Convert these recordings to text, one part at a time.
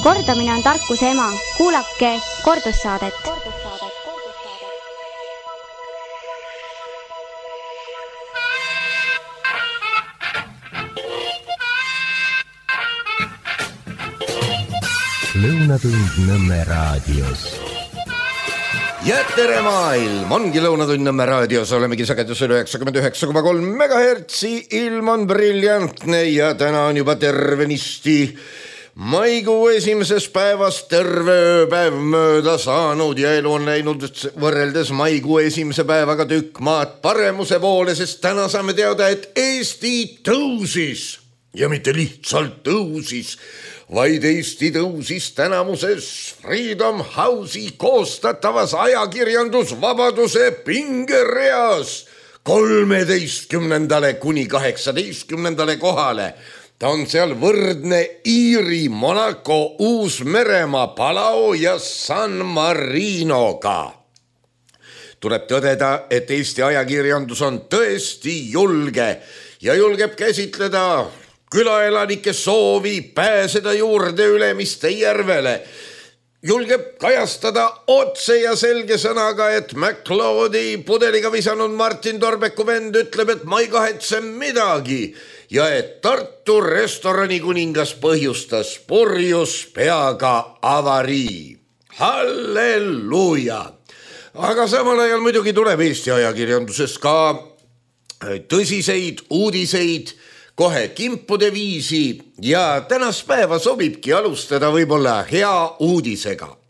Kordamine on tarkuse ema. Kuulake kordussaadet. Lõunatund Nõmme raadios. Ja tere maailm, ongi Lõunatund Nõmme raadios, olemegi sagedusel 99,3 MHz, ilm on briljantne ja täna on juba tervenisti maikuu esimeses päevas terve ööpäev mööda saanud ja elu on läinud võrreldes maikuu esimese päevaga tükk maad paremuse poole, sest täna saame teada, et Eesti tõusis ja mitte lihtsalt tõusis, vaid Eesti tõusis tänamuses Freedom House'i koostatavas ajakirjandusvabaduse pingereas 13. kuni 18. kohale. Ta on seal võrdne Iiri, Monaco, Uus-Meremaa, Palau ja San Marinoga. Tuleb tõdeda, et Eesti ajakirjandus on tõesti julge ja julgeb käsitleda külaelanike soovi pääseda juurde Ülemiste järvele. Julgeb kajastada otse ja selge sõnaga, et McLeodi pudeliga visanud Martin Torbeku vend ütleb, et ma ei kahetse midagi ja et Tartu restorani kuningas põhjustas purjus peaga avarii. Halleluuja! Aga samal ajal muidugi tuleb Eesti ajakirjanduses ka tõsiseid uudiseid kohe kimpude viisi ja tänast päeva sobibki alustada võib-olla hea uudisega.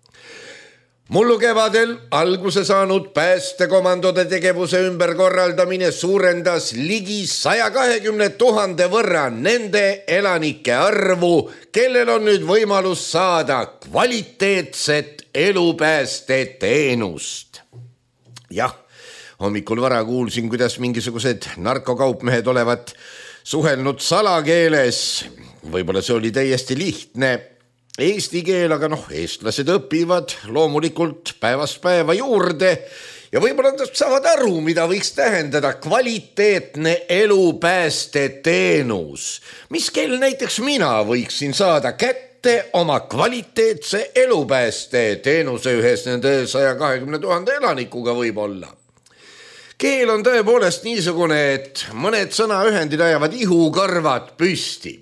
Mullu kevadel alguse saanud päästekomandode tegevuse ümberkorraldamine suurendas ligi 120 000 võrra nende elanike arvu, kellel on nüüd võimalus saada kvaliteetset elupäästeteenust. Jah, hommikul vara kuulsin, kuidas mingisugused narkokaupmehed olevat suhelnud salakeeles. Võib-olla see oli täiesti lihtne eesti keel, aga eestlased õpivad loomulikult päevast päeva juurde ja võib-olla nad saavad aru, mida võiks tähendada kvaliteetne elupäästeteenus. Mis kell näiteks mina võiksin saada kätte oma kvaliteetse elupäästeteenuse ühes nende 120 000 elanikuga võib-olla. Keel on tõepoolest niisugune, et mõned sõnaühendid ajavad ihukarvad püsti.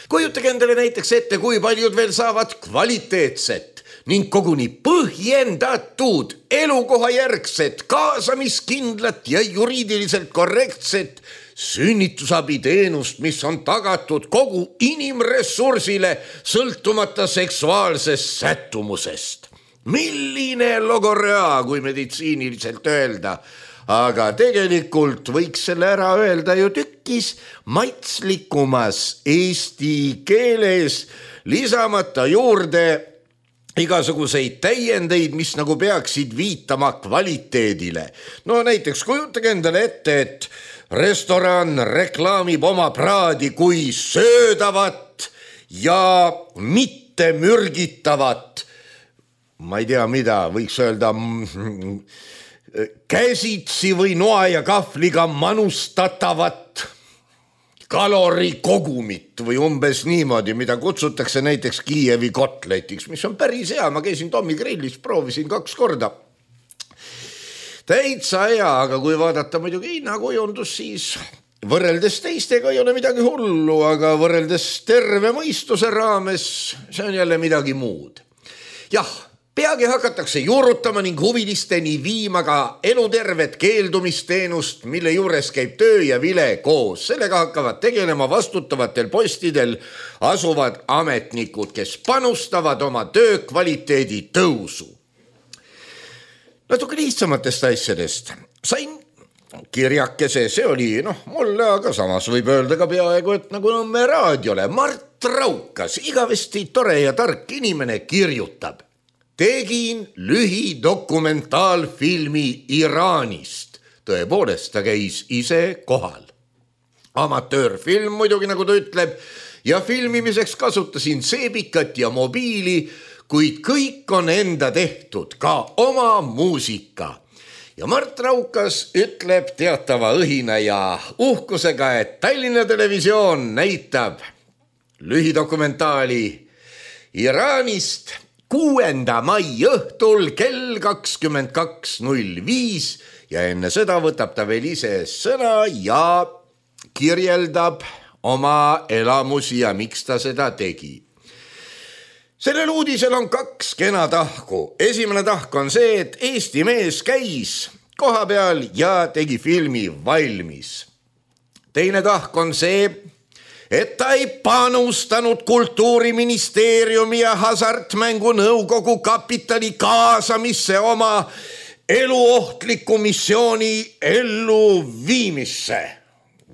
Kujutage endale näiteks ette, kui paljud veel saavad kvaliteetset ning koguni põhjendatud elukohajärgset, kaasamiskindlat ja juriidiliselt korrektset sünnitusabiteenust, mis on tagatud kogu inimressursile sõltumata seksuaalsest sättumusest. Milline logorea, kui meditsiiniliselt öelda, aga tegelikult võiks selle ära öelda ju tükkis maitslikumas eesti keeles, lisamata juurde igasuguseid täiendeid, mis nagu peaksid viitama kvaliteedile. No näiteks kujutage endale ette, et restoran reklaamib oma praadi kui söödavat ja mitte mürgitavat, ma ei tea mida, võiks öelda käsitsi või noa ja kahvliga manustatavat kalorikogumit või umbes niimoodi, mida kutsutakse näiteks Kiievi kotletiks, mis on päris hea. Ma käisin Tommi grillis, proovisin 2 korda. Täitsa hea, aga kui vaadata muidugi hinnakujundus, siis võrreldes teistega ei ole midagi hullu, aga võrreldes terve mõistuse raames see on jälle midagi muud. Jah, peagi hakatakse juurutama ning huvilisteni viima ka elutervet keeldumisteenust, mille juures käib töö ja vile koos. Sellega hakkavad tegelema vastutavatel postidel asuvad ametnikud, kes panustavad oma töö kvaliteedi tõusu. Natuke lihtsamatest asjadest. Sain kirjakese, see oli mulle, aga samas võib öelda ka peaaegu, et nagu Nõmme raadiole. Mart Raukas, igavesti tore ja tark inimene, kirjutab. Tegin lühidokumentaalfilmi Iraanist. Tõepoolest, ta käis ise kohal. Amatöörfilm muidugi, nagu ta ütleb, ja filmimiseks kasutasin seebikat ja mobiili, kuid kõik on enda tehtud, ka oma muusika. Ja Mart Raukas ütleb teatava õhina ja uhkusega, et Tallinna Televisioon näitab lühidokumentaali Iraanist 6. mai õhtul kell 22.05 ja enne seda võtab ta veel ise sõna ja kirjeldab oma elamusi ja miks ta seda tegi. Sellel uudisel on 2 kena tahku. Esimene tahk on see, et Eesti mees käis koha peal ja tegi filmi valmis. Teine tahk on see, et ta ei panustanud Kultuuriministeeriumi ja Hasartmängu nõukogu kapitali kaasamisse oma eluohtliku missiooni elluviimisse.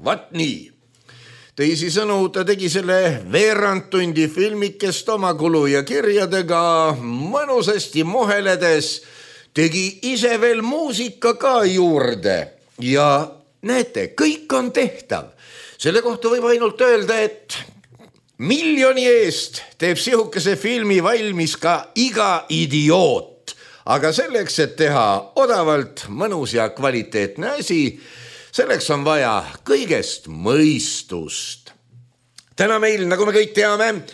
Vat nii. Teisisõnu, ta tegi selle veerandtundi filmikest oma kulu ja kirjadega mõnusasti moheledes, tegi ise veel muusika ka juurde ja näete, kõik on tehtav. Selle kohta võib ainult öelda, et miljoni eest teeb sihukese filmi valmis ka iga idioot, aga selleks, et teha odavalt mõnus ja kvaliteetne asi, selleks on vaja kõigest mõistust. Täna meil, nagu me kõik teame,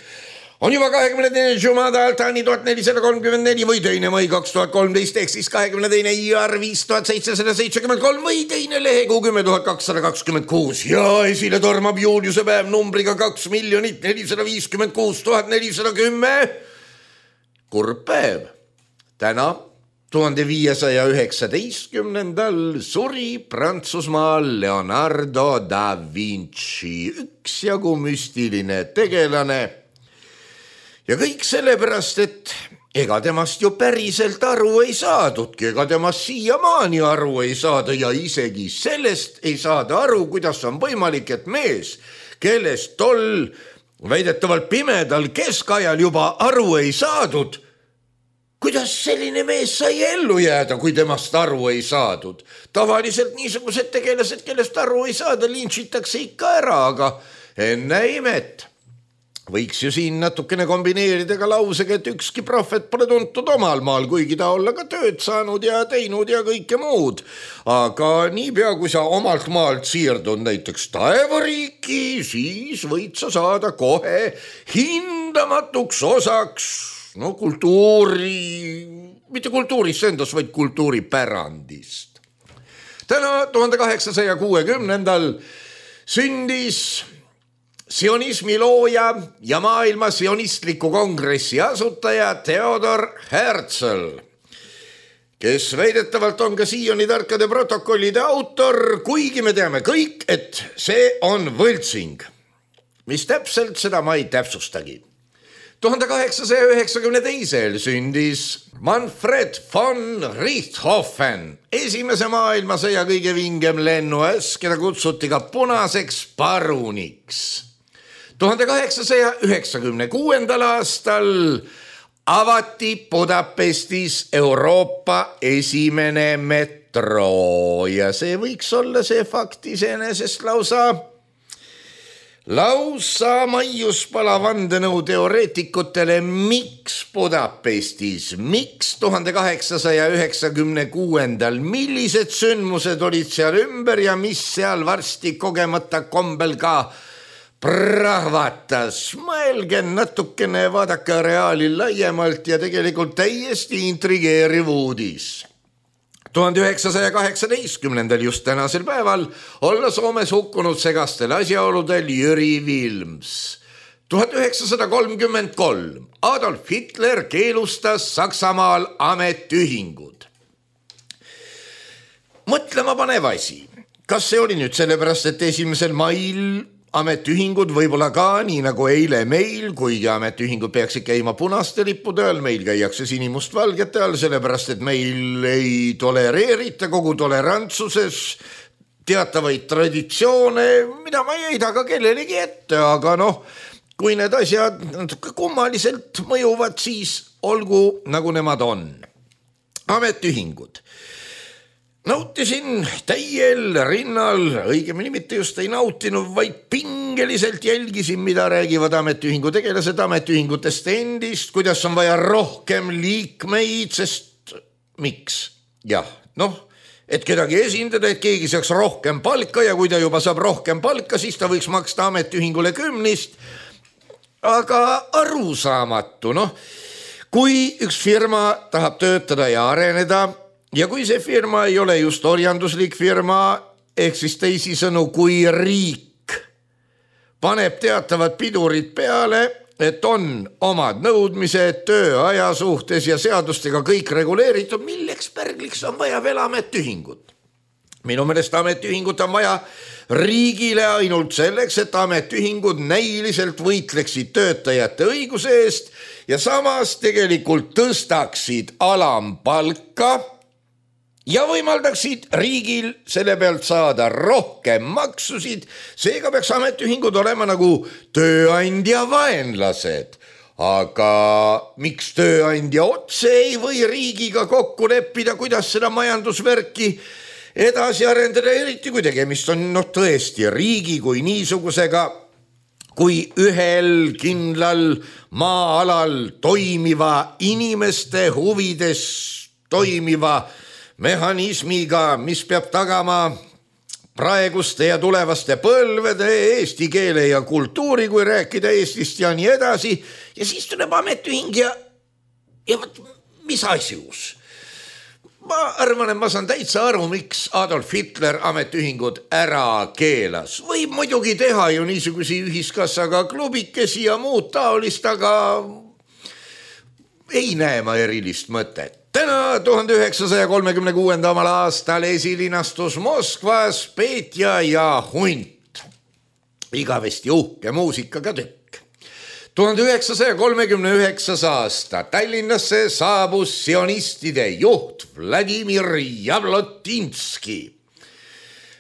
on juba 22. Jumada Altani 1434 või 2. mai 2013 ehk siis 22. iar 5773 või 2. lehekuu 10.226 ja esile tormab Juliuse päev numbriga 2,456,410. Kurb päev. Täna 1519. suri Prantsusmaal Leonardo da Vinci, üksjagu müstiline tegelane. Ja kõik sellepärast, et ega temast ju päriselt aru ei saadudki, ega temast siiamaani aru ei saada ja isegi sellest ei saada aru, kuidas on võimalik, et mees, kellest tol väidetavalt pimedal keskajal juba aru ei saadud, kuidas selline mees sai ellu jääda, kui temast aru ei saadud? Tavaliselt niisugused tegelased, kellest aru ei saada, lintšitakse ikka ära, aga enne imet. Võiks ju siin natukene kombineerida ka lausega, et ükski prohvet pole tuntud omal maal, kuigi ta olla ka tööd saanud ja teinud ja kõike muud. Aga niipea, kui sa omalt maalt siirdud näiteks taevariiki, siis võid sa saada kohe hindamatuks osaks mitte kultuurist endas, vaid kultuuripärandist. Täna 1860. sündis sionismi looja ja maailma sionistliku kongressi asutaja Theodor Herzl, kes väidetavalt on ka siiani tarkade protokollide autor, kuigi me teame kõik, et see on võltsing. Mis täpselt, seda ma ei täpsustagi. 1892. sündis Manfred von Richthofen, esimese maailmasõja kõige vingem lennuäss, keda kutsuti ka punaseks paruniks. 1896. aastal avati Budapestis Euroopa esimene metro ja see võiks olla see fakt iseenesest lausa maiuspala vandenõu teoreetikutele, miks Budapestis, miks 1896. Millised sündmused olid seal ümber ja mis seal varsti kogemata kombel ka prahvatas. Mõelge natukene, vaadake reaali laiemalt ja tegelikult täiesti intrigeeriv uudis. 1918. just tänasel päeval olla Soomes hukkunud segastel asjaoludel Jüri Vilms. 1933 Adolf Hitler keelustas Saksamaal ametiühingud. Mõtlema panev asi. Kas see oli nüüd sellepärast, et 1. mail ametiühingud võib-olla ka, nii nagu eile meil, kuigi ametiühingud peaksid käima punaste lippude all, meil käiakse sinimustvalgete all, sellepärast, et meil ei tolereerita kogu tolerantsuses teatavaid traditsioone, mida ma ei heida ka kellelegi ette, aga kui need asjad kummaliselt mõjuvad, siis olgu nagu nemad on. Ametiühingud. Nautisin täiel rinnal, õigemini mitte just ei nautinud, vaid pingeliselt jälgisin, mida räägivad ametiühingu tegelased ametiühingutest endist, kuidas on vaja rohkem liikmeid, sest miks? Jah, et kedagi esindada, et keegi saaks rohkem palka ja kui ta juba saab rohkem palka, siis ta võiks maksta ametiühingule 10. aga arusaamatu, kui üks firma tahab töötada ja areneda ja kui see firma ei ole just orjanduslik firma, ehk siis teisisõnu, kui riik paneb teatavad pidurid peale, et on omad nõudmised tööaja suhtes ja seadustega kõik reguleeritud, milleks pärgliks on vaja veel ametiühingut? Minu meelest ametiühingut on vaja riigile ainult selleks, et ametiühingud näiliselt võitleksid töötajate õiguse eest ja samas tegelikult tõstaksid alampalka ja võimaldaksid riigil selle pealt saada rohkem maksusid. Seega peaks ametiühingud olema nagu tööandja vaenlased. Aga miks tööandja otse ei või riigiga kokku leppida, kuidas seda majandusvärki edasi arendada, eriti kui tegemist on tõesti riigi kui niisugusega, kui ühel kindlal maa-alal toimiva inimeste huvides toimiva mehhanismiga, mis peab tagama praeguste ja tulevaste põlvede eesti keele ja kultuuri, kui rääkida Eestist ja nii edasi. Ja siis tuleb ametiühing ja võt, mis asjus? Ma arvan, et ma saan täitsa aru, miks Adolf Hitler ametiühingud ära keelas. Võib muidugi teha ju niisugusi ühiskassaga klubikesi ja muud taolist, aga ei näe ma erilist mõtet. Täna 1936. aastal esilinastus Moskvas Petja ja Hunt. Igavesti uhke muusikaga tükk. 1939. aasta Tallinnasse saabus sionistide juht Vladimir Javlotinski.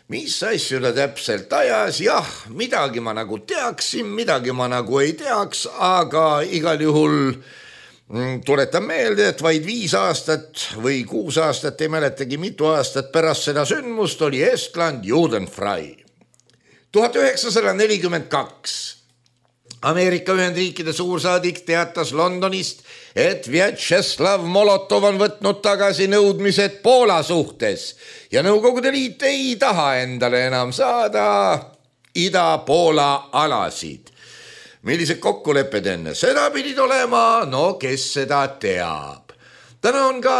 Mis asju ta täpselt ajas? Jah, midagi ma nagu teaksin, midagi ma nagu ei teaks, aga igal juhul tuletan meelde, et vaid 5 aastat või 6 aastat, ei mäletagi mitu aastat pärast seda sündmust oli Estland judenfrei. 1942. Ameerika Ühendriikide suursaadik teatas Londonist, et Vjatšeslav Molotov on võtnud tagasi nõudmised Poola suhtes ja Nõukogude Liit ei taha endale enam saada Ida-Poola alasid. Millised kokkulepped enne seda pidid olema? Kes seda teab. Täna on ka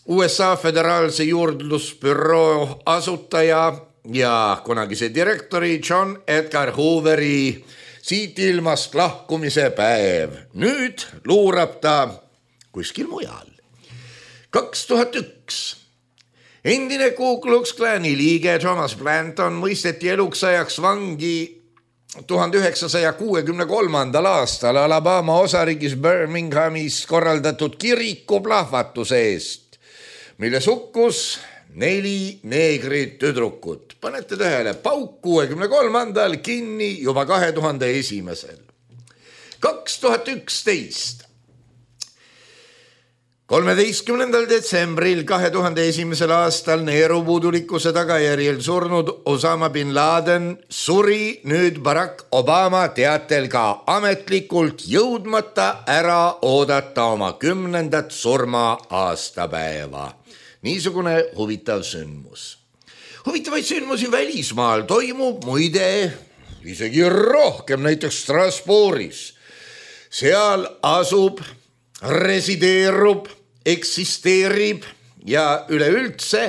USA föderaalse juurdlusbüroo asutaja ja kunagise direktori John Edgar Hooveri siit ilmast lahkumise päev. Nüüd luurab ta kuskil mujal. 2001. Endine Ku Klux Klani liige Thomas Blanton mõisteti eluks ajaks vangi 1963. aastal Alabama osariigis Birminghamis korraldatud kirikuplahvatuse eest, milles hukkus 4 neegrit tüdrukut. Panete tähele, pauk 63. kinni juba 2001. 2011. 13. detsembril 2001. aastal neerupuudulikkuse tagajärjel surnud Osama bin Laden suri nüüd Barack Obama teatel ka ametlikult jõudmata ära oodata oma 10. surma aastapäeva. Niisugune huvitav sündmus. Huvitavaid sündmusi välismaal toimub muide isegi rohkem, näiteks Strasbourgis. Seal asub, resideerub, eksisteerib ja üleüldse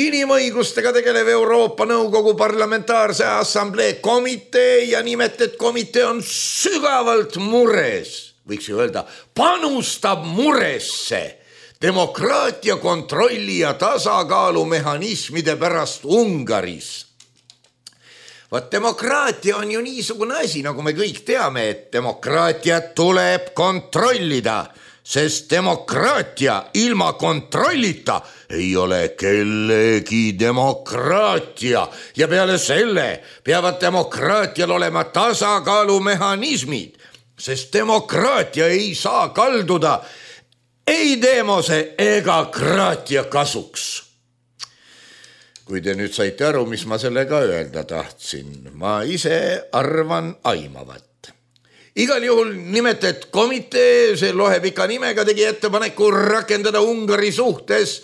inimõigustega tegelev Euroopa Nõukogu Parlamentaarse Assamblee komitee ja nimetet komitee on sügavalt mures, võiks ju öelda, panustab muresse demokraatia kontrolli ja tasakaalu mehhanismide pärast Ungaris. Demokraatia on ju niisugune asi, nagu me kõik teame, et demokraatiat tuleb kontrollida, sest demokraatia ilma kontrollita ei ole kellegi demokraatia ja peale selle peavad demokraatial olema tasakaalumehhanismid, sest demokraatia ei saa kalduda ei demose ega kraatia kasuks. Kui te nüüd saite aru, mis ma sellega öelda tahtsin, ma ise arvan aimavat. Igal juhul nimetet komitee, see lohepika nimega, tegi ettepaneku rakendada Ungari suhtes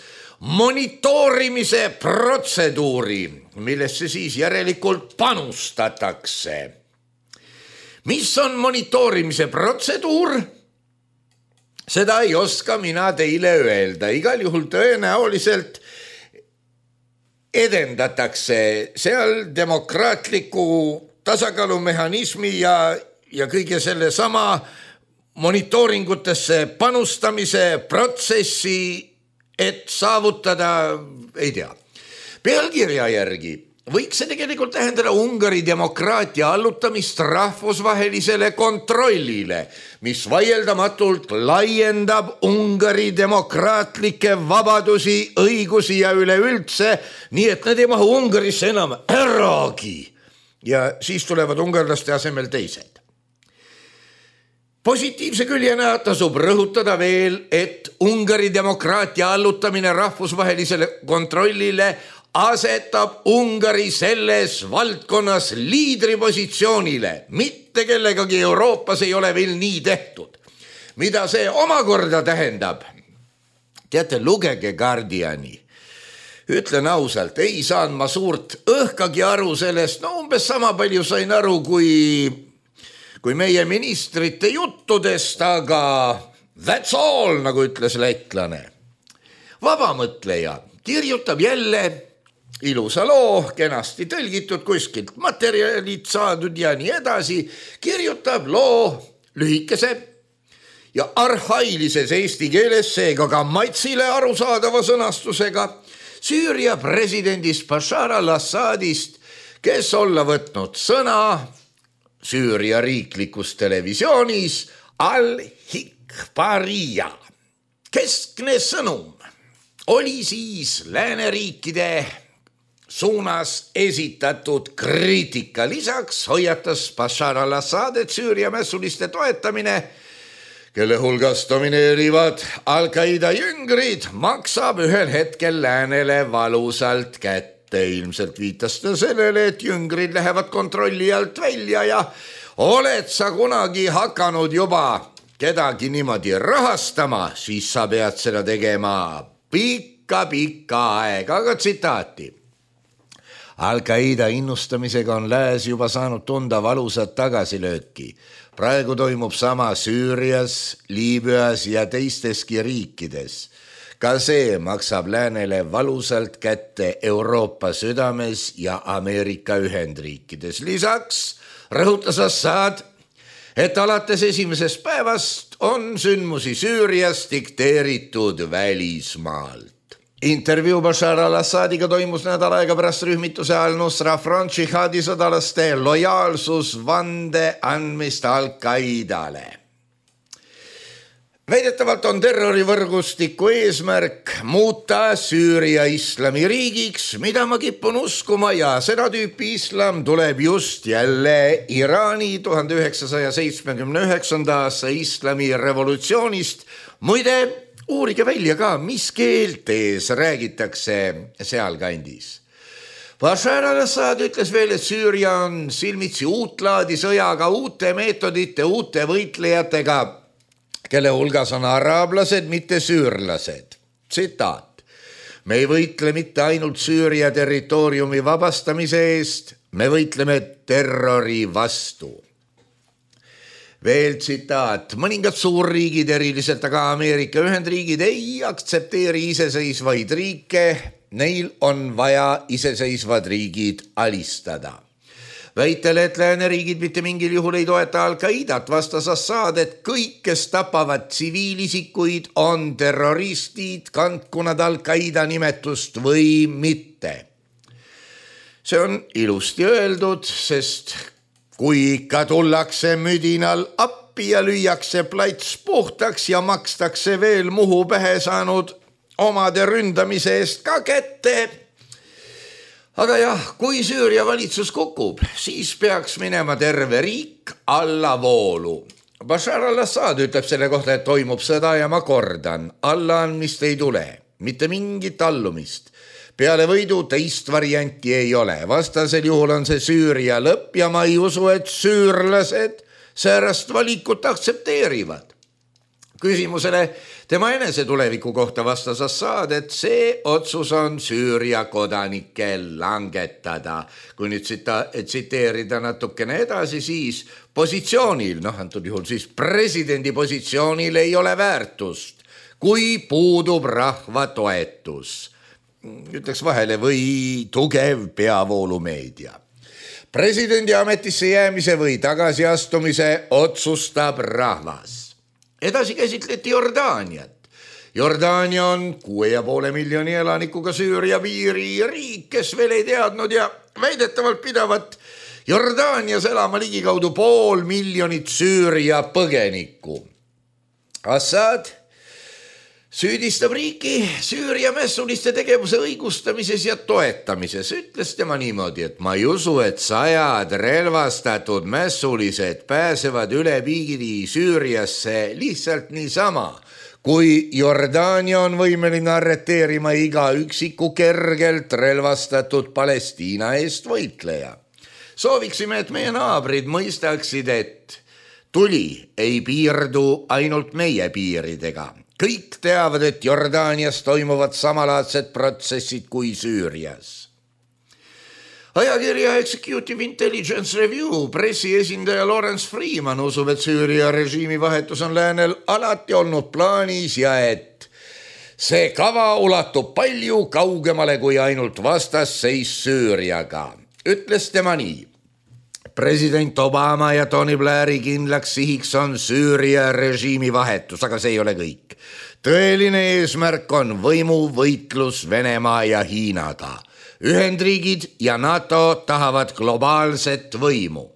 monitoorimise protseduuri, millesse siis järelikult panustatakse. Mis on monitoorimise protseduur? Seda ei oska mina teile öelda. Igal juhul tõenäoliselt edendatakse seal demokraatliku tasakaalumehhanismi ja kõige selle sama monitooringutesse panustamise protsessi, et saavutada, ei tea. Pealkirja järgi võiks see tegelikult tähendada Ungari demokraatia allutamist rahvusvahelisele kontrollile, mis vaieldamatult laiendab Ungari demokraatlikke vabadusi, õigusi ja üleüldse, nii et need ei mahu Ungarisse enam äragi. Ja siis tulevad ungarlaste asemel teised. Positiivse küljena tasub rõhutada veel, et Ungari demokraatia allutamine rahvusvahelisele kontrollile asetab Ungari selles valdkonnas liidripositsioonile. Mitte kellegagi Euroopas ei ole veel nii tehtud. Mida see omakorda tähendab? Teate, lugege Guardiani. Ütlen ausalt, ei saan ma suurt õhkagi aru sellest, umbes sama palju sain aru kui meie ministrite juttudest, aga that's all, nagu ütles lätlane. Vabamõtleja kirjutab jälle ilusa loo, kenasti tõlgitud kuskilt, materjalid saadud ja nii edasi, kirjutab loo lühikese ja arhailises eesti keeles, seega ka maitsile arusaadava sõnastusega Süüria presidendist Bashar al-Assadist, kes olla võtnud sõna Süüria riiklikus televisioonis Al-Hikbarija. Keskne sõnum oli siis lääneriikide suunas esitatud kriitika. Lisaks hoiatas Bashar al-Assad, et Süüria mässuliste toetamine, kelle hulgas domineerivad Al-Qaida jüngrid, maksab ühel hetkel läänele valusalt kätte. Ilmselt viitas ta sellele, et jüngrid lähevad kontrolli alt välja ja oled sa kunagi hakanud juba kedagi niimoodi rahastama, siis sa pead seda tegema pikka aega. Aga tsitaati. Al-Qaida innustamisega on lääs juba saanud tunda valusat tagasilööki. Praegu toimub sama Süürias, Liibüas ja teisteski riikides. Ka see maksab läänele valusalt kätte Euroopa südames ja Ameerika Ühendriikides. Lisaks rõhutas Assad, et alates esimesest päevast on sündmusi Süürias dikteeritud välismaalt. Intervjuu Bashar al-Assadiga toimus nädal aega pärast rühmituse Al-Nusra Front džihaadi sõdalaste lojaalsusvande andmist Al-Qaidale. Väidetavalt on terrorivõrgustiku eesmärk muuta Süüria islamiriigiks, mida ma kipun uskuma, ja seda tüüpi islam tuleb just jälle Iraani 1979. aasta islami revolutsioonist. Muide, uurige välja ka, mis keeltes räägitakse sealkandis. Bashar al-Assad ütles veel, et Süüria on silmitsi uutlaadi sõjaga, uute meetodite, uute võitlejatega, kelle hulgas on araablased, mitte süürlased. Tsitaat. Me ei võitle mitte ainult Süüria territooriumi vabastamise eest, me võitleme terrori vastu. Veel tsitaat. Mõningad suurriigid, eriliselt aga Ameerika Ühendriigid, ei aktsepteeri iseseisvaid riike, neil on vaja iseseisvad riigid alistada. Väitel, et lääneriigid mitte mingil juhul ei toeta Al-Qaidat, vastas Assad, et kõik, kes tapavad tsiviilisikuid, on terroristid, kandku nad Al-Qaida nimetust või mitte. See on ilusti öeldud, sest kui ikka tullakse müdinal appi ja lüüakse plats puhtaks ja makstakse veel Muhu pähe saanud omade ründamise eest ka kätte. Aga jah, kui Süüria valitsus kukub, siis peaks minema terve riik allavoolu. Bashar al-Assad ütleb selle kohta, et toimub sõda ja ma kordan, allaandmist ei tule, mitte mingit allumist. Peale võidu teist varianti ei ole, vastasel juhul on see Süüria lõpp ja ma ei usu, et süürlased säärast valikut aktsepteerivad. Küsimusele tema enese tuleviku kohta vastas Assad, et see otsus on Süüria kodanike langetada. Kui nüüd tsiteerida natukene edasi, siis positsioonil, antud juhul siis presidendi positsioonil ei ole väärtust, kui puudub rahva toetus. Ütleks vahele või tugev peavoolumeedia. Presidendi ametisse jäämise või tagasiastumise otsustab rahvas. Edasi käsitleti Jordaaniat. Jordaania on 6,5 miljoni elanikuga Süüria piiri riik, kes veel ei teadnud ja väidetavalt pidavat Jordaanias elama ligikaudu 500 000 Süüria põgenikku. Assad süüdistab riiki Süüria mässuliste tegevuse õigustamises ja toetamises. Ütles tema niimoodi, et ma ei usu, et 100 relvastatud mässulised pääsevad üle piiri Süüriasse lihtsalt niisama, kui Jordaania on võimeline arreteerima iga üksiku kergelt relvastatud Palestiina eest võitleja. Sooviksime, et meie naabrid mõistaksid, et tuli ei piirdu ainult meie piiridega. Kõik teavad, et Jordaanias toimuvad samalaadsed protsessid kui Süürias. Ajakirja Executive Intelligence Review pressiesindaja Lawrence Freeman usub, et Süüria režiimi vahetus on läänel alati olnud plaanis ja et see kava ulatub palju kaugemale kui ainult vastasseis Süüriaga. Ütles tema nii. President Obama ja Tony Blairi kindlaks sihiks on Süüria režiimi vahetus, aga see ei ole kõik. Tõeline eesmärk on võimuvõitlus Venemaa ja Hiinaga. Ühendriigid ja NATO tahavad globaalset võimu.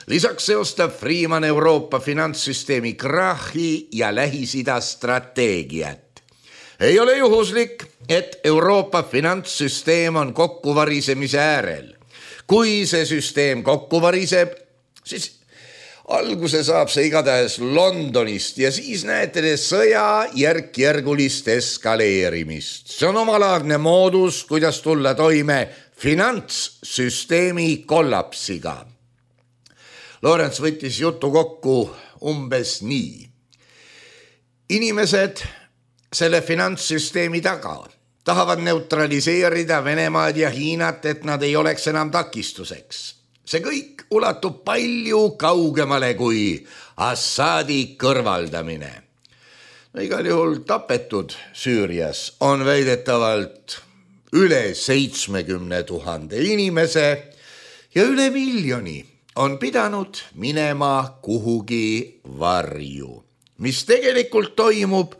Lisaks seostab Freeman Euroopa finantssüsteemi krahhi ja Lähis-Ida strateegiat. Ei ole juhuslik, et Euroopa finantssüsteem on kokkuvarisemise äärel. Kui see süsteem kokku variseb, siis alguse saab see igatahes Londonist ja siis näete te sõja järk-järgulist eskaleerimist. See on omalaadne moodus, kuidas tulla toime finantssüsteemi kollapsiga. Lawrence võttis jutu kokku umbes nii. Inimesed selle finantssüsteemi taga tahavad neutraliseerida Venemaad ja Hiinat, et nad ei oleks enam takistuseks. See kõik ulatub palju kaugemale kui Assadi kõrvaldamine. Igal juhul tapetud Süürias on väidetavalt üle 70 000 inimese ja üle miljoni on pidanud minema kuhugi varju. Mis tegelikult toimub?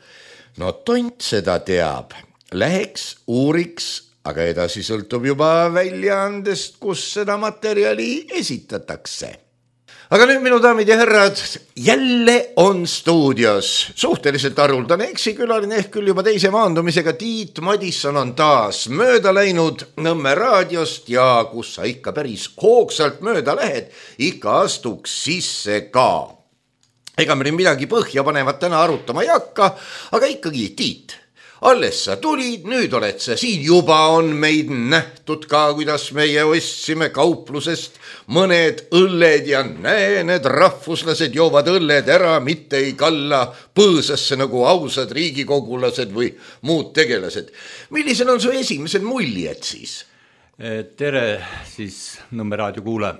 No tont seda teab. Läheks, uuriks, aga edasi sõltub juba väljaandest, kus seda materjali esitatakse. Aga nüüd, minu daamid ja härrad, jälle on stuudios suhteliselt haruldane eksikülaline ehk küll juba teise maandumisega Tiit Madisson on taas mööda läinud Nõmme raadiost ja kus sa ikka päris hoogsalt mööda lähed, ikka astuks sisse ka. Ega me midagi põhja panevat täna arutama ei hakka, aga ikkagi Tiit. Alles sa tulid, nüüd oled sa siin, juba on meid nähtud ka, kuidas meie ostsime kauplusest mõned õlled ja näe, need rahvuslased joovad õlled ära, mitte ei kalla põõsasse nagu ausad riigikogulased või muud tegelased. Millised on su esimesed muljed siis? Tere siis Nõmme raadio kuule.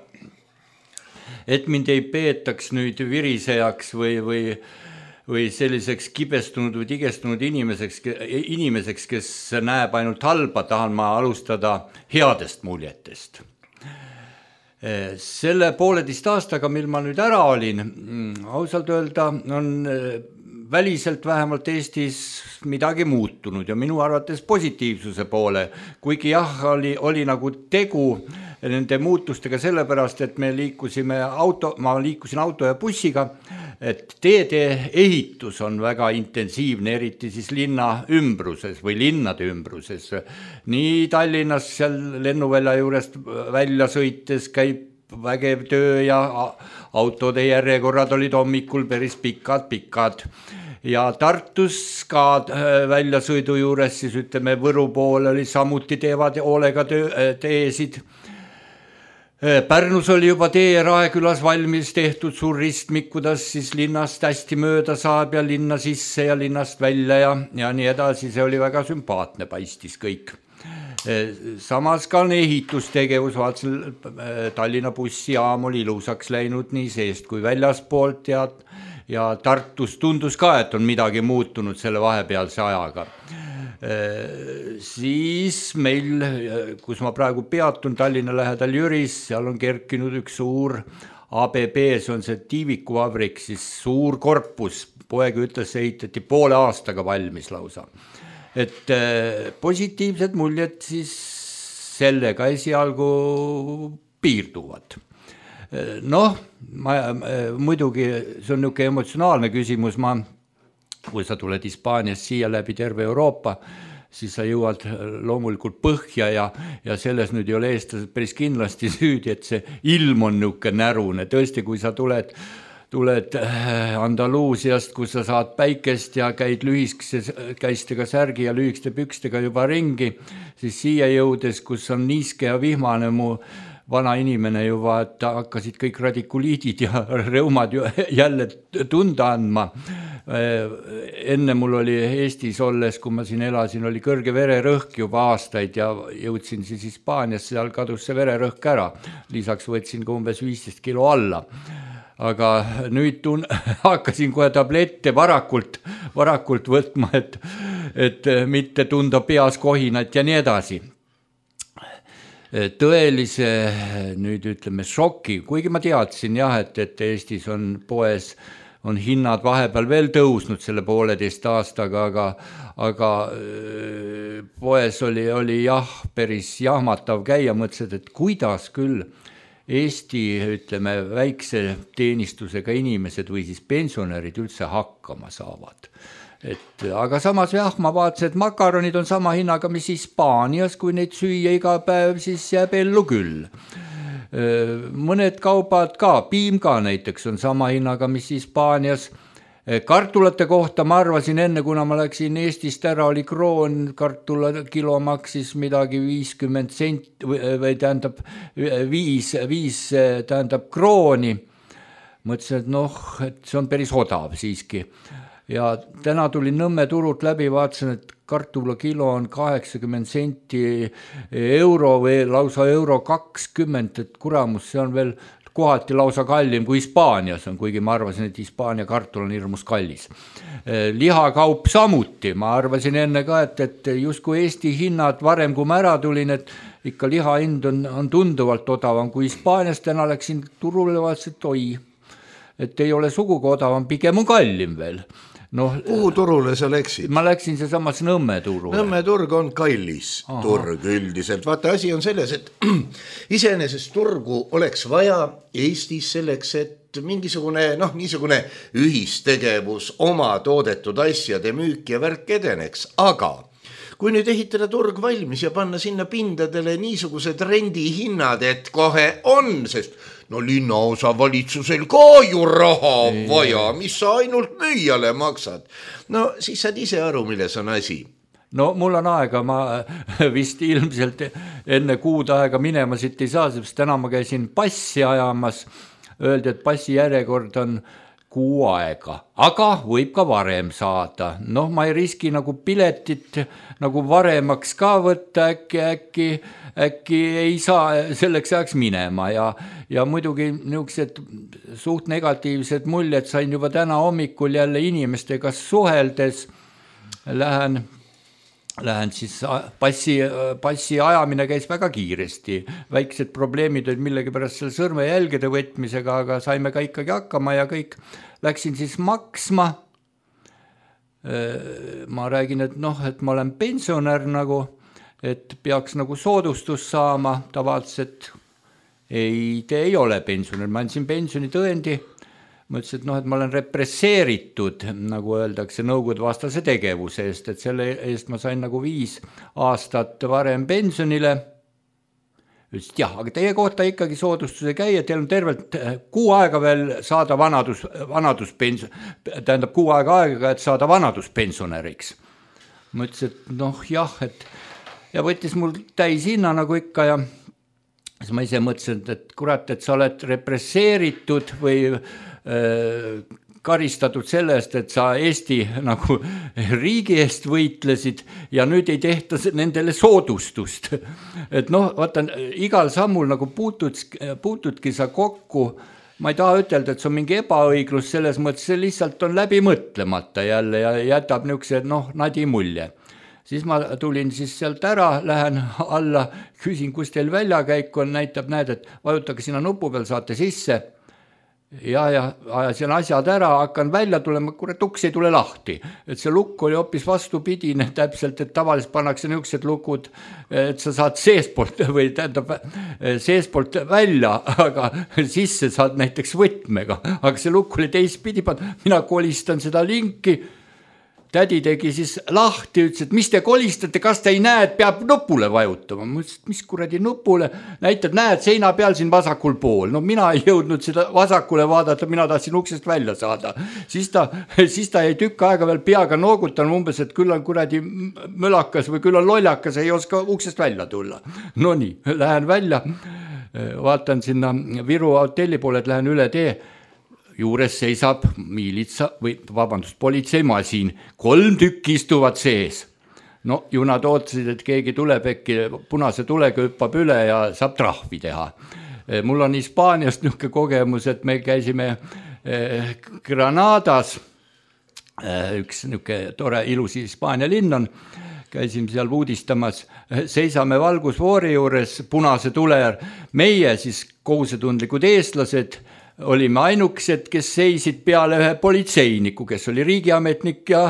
Et mind ei peetaks nüüd virisejaks või selliseks kibestunud või tigestunud inimeseks, kes näeb ainult halba, tahan ma alustada headest muljetest. Selle 1,5 aastaga, mil ma nüüd ära olin, ausalt öelda, on väliselt vähemalt Eestis midagi muutunud ja minu arvates positiivsuse poole, kuigi jah, oli nagu tegu nende muutustega sellepärast, et ma liikusin auto ja bussiga, et teede ehitus on väga intensiivne, eriti siis linna ümbruses või linnade ümbruses. Nii Tallinnas seal lennuvälja juurest välja sõites käib vägev töö ja autode järjekorrad olid hommikul päris pikad. Ja Tartus ka väljasõidu juures, siis ütleme Võru pool oli samuti teevad hoolega teesid. Pärnus oli juba tee Raekülas valmis tehtud suur ristmik, kuidas siis linnast hästi mööda saab ja linna sisse ja linnast välja ja nii edasi, see oli väga sümpaatne, paistis kõik. Samas ka on ehitustegevus, vaatasin, Tallinna bussijaam oli ilusaks läinud nii seest kui väljaspoolt ja Tartus tundus ka, et on midagi muutunud selle vahepealse ajaga. Siis meil, kus ma praegu peatun Tallinna lähedal Jüris, seal on kerkinud üks suur ABB, see on see tiivikuvabrik, siis suur korpus, poeg ütles, ehitati poole aastaga valmis lausa. Et positiivsed muljed siis sellega esialgu piirduvad. Noh, muidugi see on niisugune emotsionaalne küsimus, kui sa tuled Hispaaniast siia läbi terve Euroopa, siis sa jõuad loomulikult põhja ja selles nüüd ei ole eestlased päris kindlasti süüdi, et see ilm on niisugune närune. Tõesti, kui sa tuled Andaluusiast, kus sa saad päikest ja käid lühiskäistega särgi ja lühikeste pükstega juba ringi, siis siia jõudes, kus on niiske ja vihmane mu vana inimene juba, et hakkasid kõik radikuliidid ja reumad jälle tunda andma. Enne mul oli Eestis olles, kui ma siin elasin, oli kõrge vererõhk juba aastaid ja jõudsin siis Hispaanias, seal kadus see vererõhk ära. Lisaks võtsin ka umbes 15 kilo alla. Aga nüüd hakkasin kohe tablette varakult võtma, et mitte tunda peas kohinat ja nii edasi. Tõelise nüüd ütleme šoki, kuigi ma teadsin jah, et Eestis on poes, on hinnad vahepeal veel tõusnud selle 1,5 aastaga, aga poes oli jah, päris jahmatav käia, mõtlesid, et kuidas küll Eesti, ütleme, väikse teenistusega inimesed või siis pensionärid üldse hakkama saavad. Aga samas jah, ma vaatasin, et makaronid on sama hinnaga, mis Hispaanias, kui neid süüa iga päev, siis jääb ellu küll. Mõned kaubad ka, piim ka näiteks on sama hinnaga, mis Hispaanias. Kartulate kohta ma arvasin enne, kuna ma läksin Eestist ära, oli kroon, kartula kilo maksis midagi 50 sent või tähendab 5 tähendab krooni. Mõtlesin, et see on päris odav siiski. Ja täna tulin Nõmme turult läbi, vaatasin, et kartula kilo on 80 senti euro või lausa euro 20, et kuramus, see on veel kohati lausa kallim kui Hispaanias on, kuigi ma arvasin, et Hispaania kartul on hirmus kallis. Lihakaup samuti, ma arvasin enne ka, et justkui Eesti hinnad varem, kui ma ära tulin, et ikka liha hind on tunduvalt odavam kui Hispaanias, täna läksin turule, vaatasin, et oi, et ei ole sugugi odavam, pigem on kallim veel. Kuhu turule sa läksid? Ma läksin see samas Nõmme turule. Nõmme turg on kallis turg üldiselt. Vaata, asi on selles, et iseenesest turgu oleks vaja Eestis selleks, et mingisugune niisugune ühistegevus oma toodetud asjade müük ja värk edeneks. Aga kui nüüd ehitada turg valmis ja panna sinna pindadele niisugused rendihinnad, et kohe on, sest linnaosa valitsusel ka ju raha vaja, mis sa ainult müüjale maksad. Siis saad ise aru, milles on asi. Mul on aega, ma vist ilmselt enne kuud aega minema siit ei saa, sest täna ma käisin passi ajamas, öeldi, et passi järjekord on kuu aega, aga võib ka varem saada. Ma ei riski nagu piletit nagu varemaks ka võtta, äkki ei saa selleks ajaks minema ja muidugi niisugused suht negatiivsed muljed sain juba täna hommikul jälle inimestega suheldes. Lähen siis passi ajamine käis väga kiiresti. Väiksed probleemid olid millegi pärast selle sõrmejälgede võtmisega, aga saime ka ikkagi hakkama ja kõik. Läksin siis maksma. Ma räägin, et ma olen pensionär nagu, et peaks nagu soodustus saama. Tavaliselt te ei ole pensionär. Ma andsin pensionitõendi. Mõtlesin, et ma olen represseeritud, nagu öeldakse, nõukogude vastase tegevuse eest, et selle eest ma sain nagu 5 aastat varem pensionile. Ütlesid, jah, aga teie kohta ikkagi soodustuse käia, teil on tervelt 6 aega veel saada tähendab 6 aega, et saada vanaduspensionäriks. Mõtlesin, et jah, ja võttis mul täis hinna nagu ikka ja siis ma ise mõtlesin, et kurat, et sa oled represseeritud või karistatud selle eest, et sa Eesti nagu riigi eest võitlesid ja nüüd ei tehta nendele soodustust. Et noh, vaata, igal sammul nagu puutudki sa kokku, ma ei taha ütelda, et see on mingi ebaõiglus selles mõttes, see lihtsalt on läbi mõtlemata jälle ja jätab niisuguse nadi mulje. Siis ma tulin siis sealt ära, lähen alla, küsin, kus teil väljakäik on, näitab, näed, et vajutage sinna nupu peal, saate sisse. Ja ajasin asjad ära, hakkan välja tulema, kurat, uks ei tule lahti. Et see lukk oli hoopis vastupidine täpselt, et tavaliselt pannakse niisugused lukud, et sa saad seespoolt või tähendab seespoolt välja, aga sisse saad näiteks võtmega. Aga see lukk oli teistpidi, mina kolistan seda linki. Tädi tegi siis lahti, ütles, et mis te kolistate, kas te ei näe, et peab nupule vajutama. Ma ütlesin, et mis kuradi nupule, näitab, näed seina peal siin vasakul pool. No mina ei jõudnud seda vasakule vaadata, mina tahtsin uksest välja saada. Siis ta jäi tükk aega veel peaga noogutan umbes, et küll on kuradi mölakas või küll on lollakas, ei oska uksest välja tulla. No nii, lähen välja, vaatan sinna Viru hotelli poole, et lähen üle tee. Juures seisab politseimasin, 3 tükki istuvad sees. No ju nad ootasid, et keegi tuleb äkki punase tulega hüppab üle ja saab trahvi teha. Mul on Hispaaniast niisugune kogemus, et me käisime Granadas, üks niisugune tore ilus Hispaania linn on, käisime seal uudistamas, seisame valgusfoori juures punase tule, meie siis kohusetundlikud eestlased, olime ainukesed, kes seisid peale ühe politseiniku, kes oli riigiametnik ja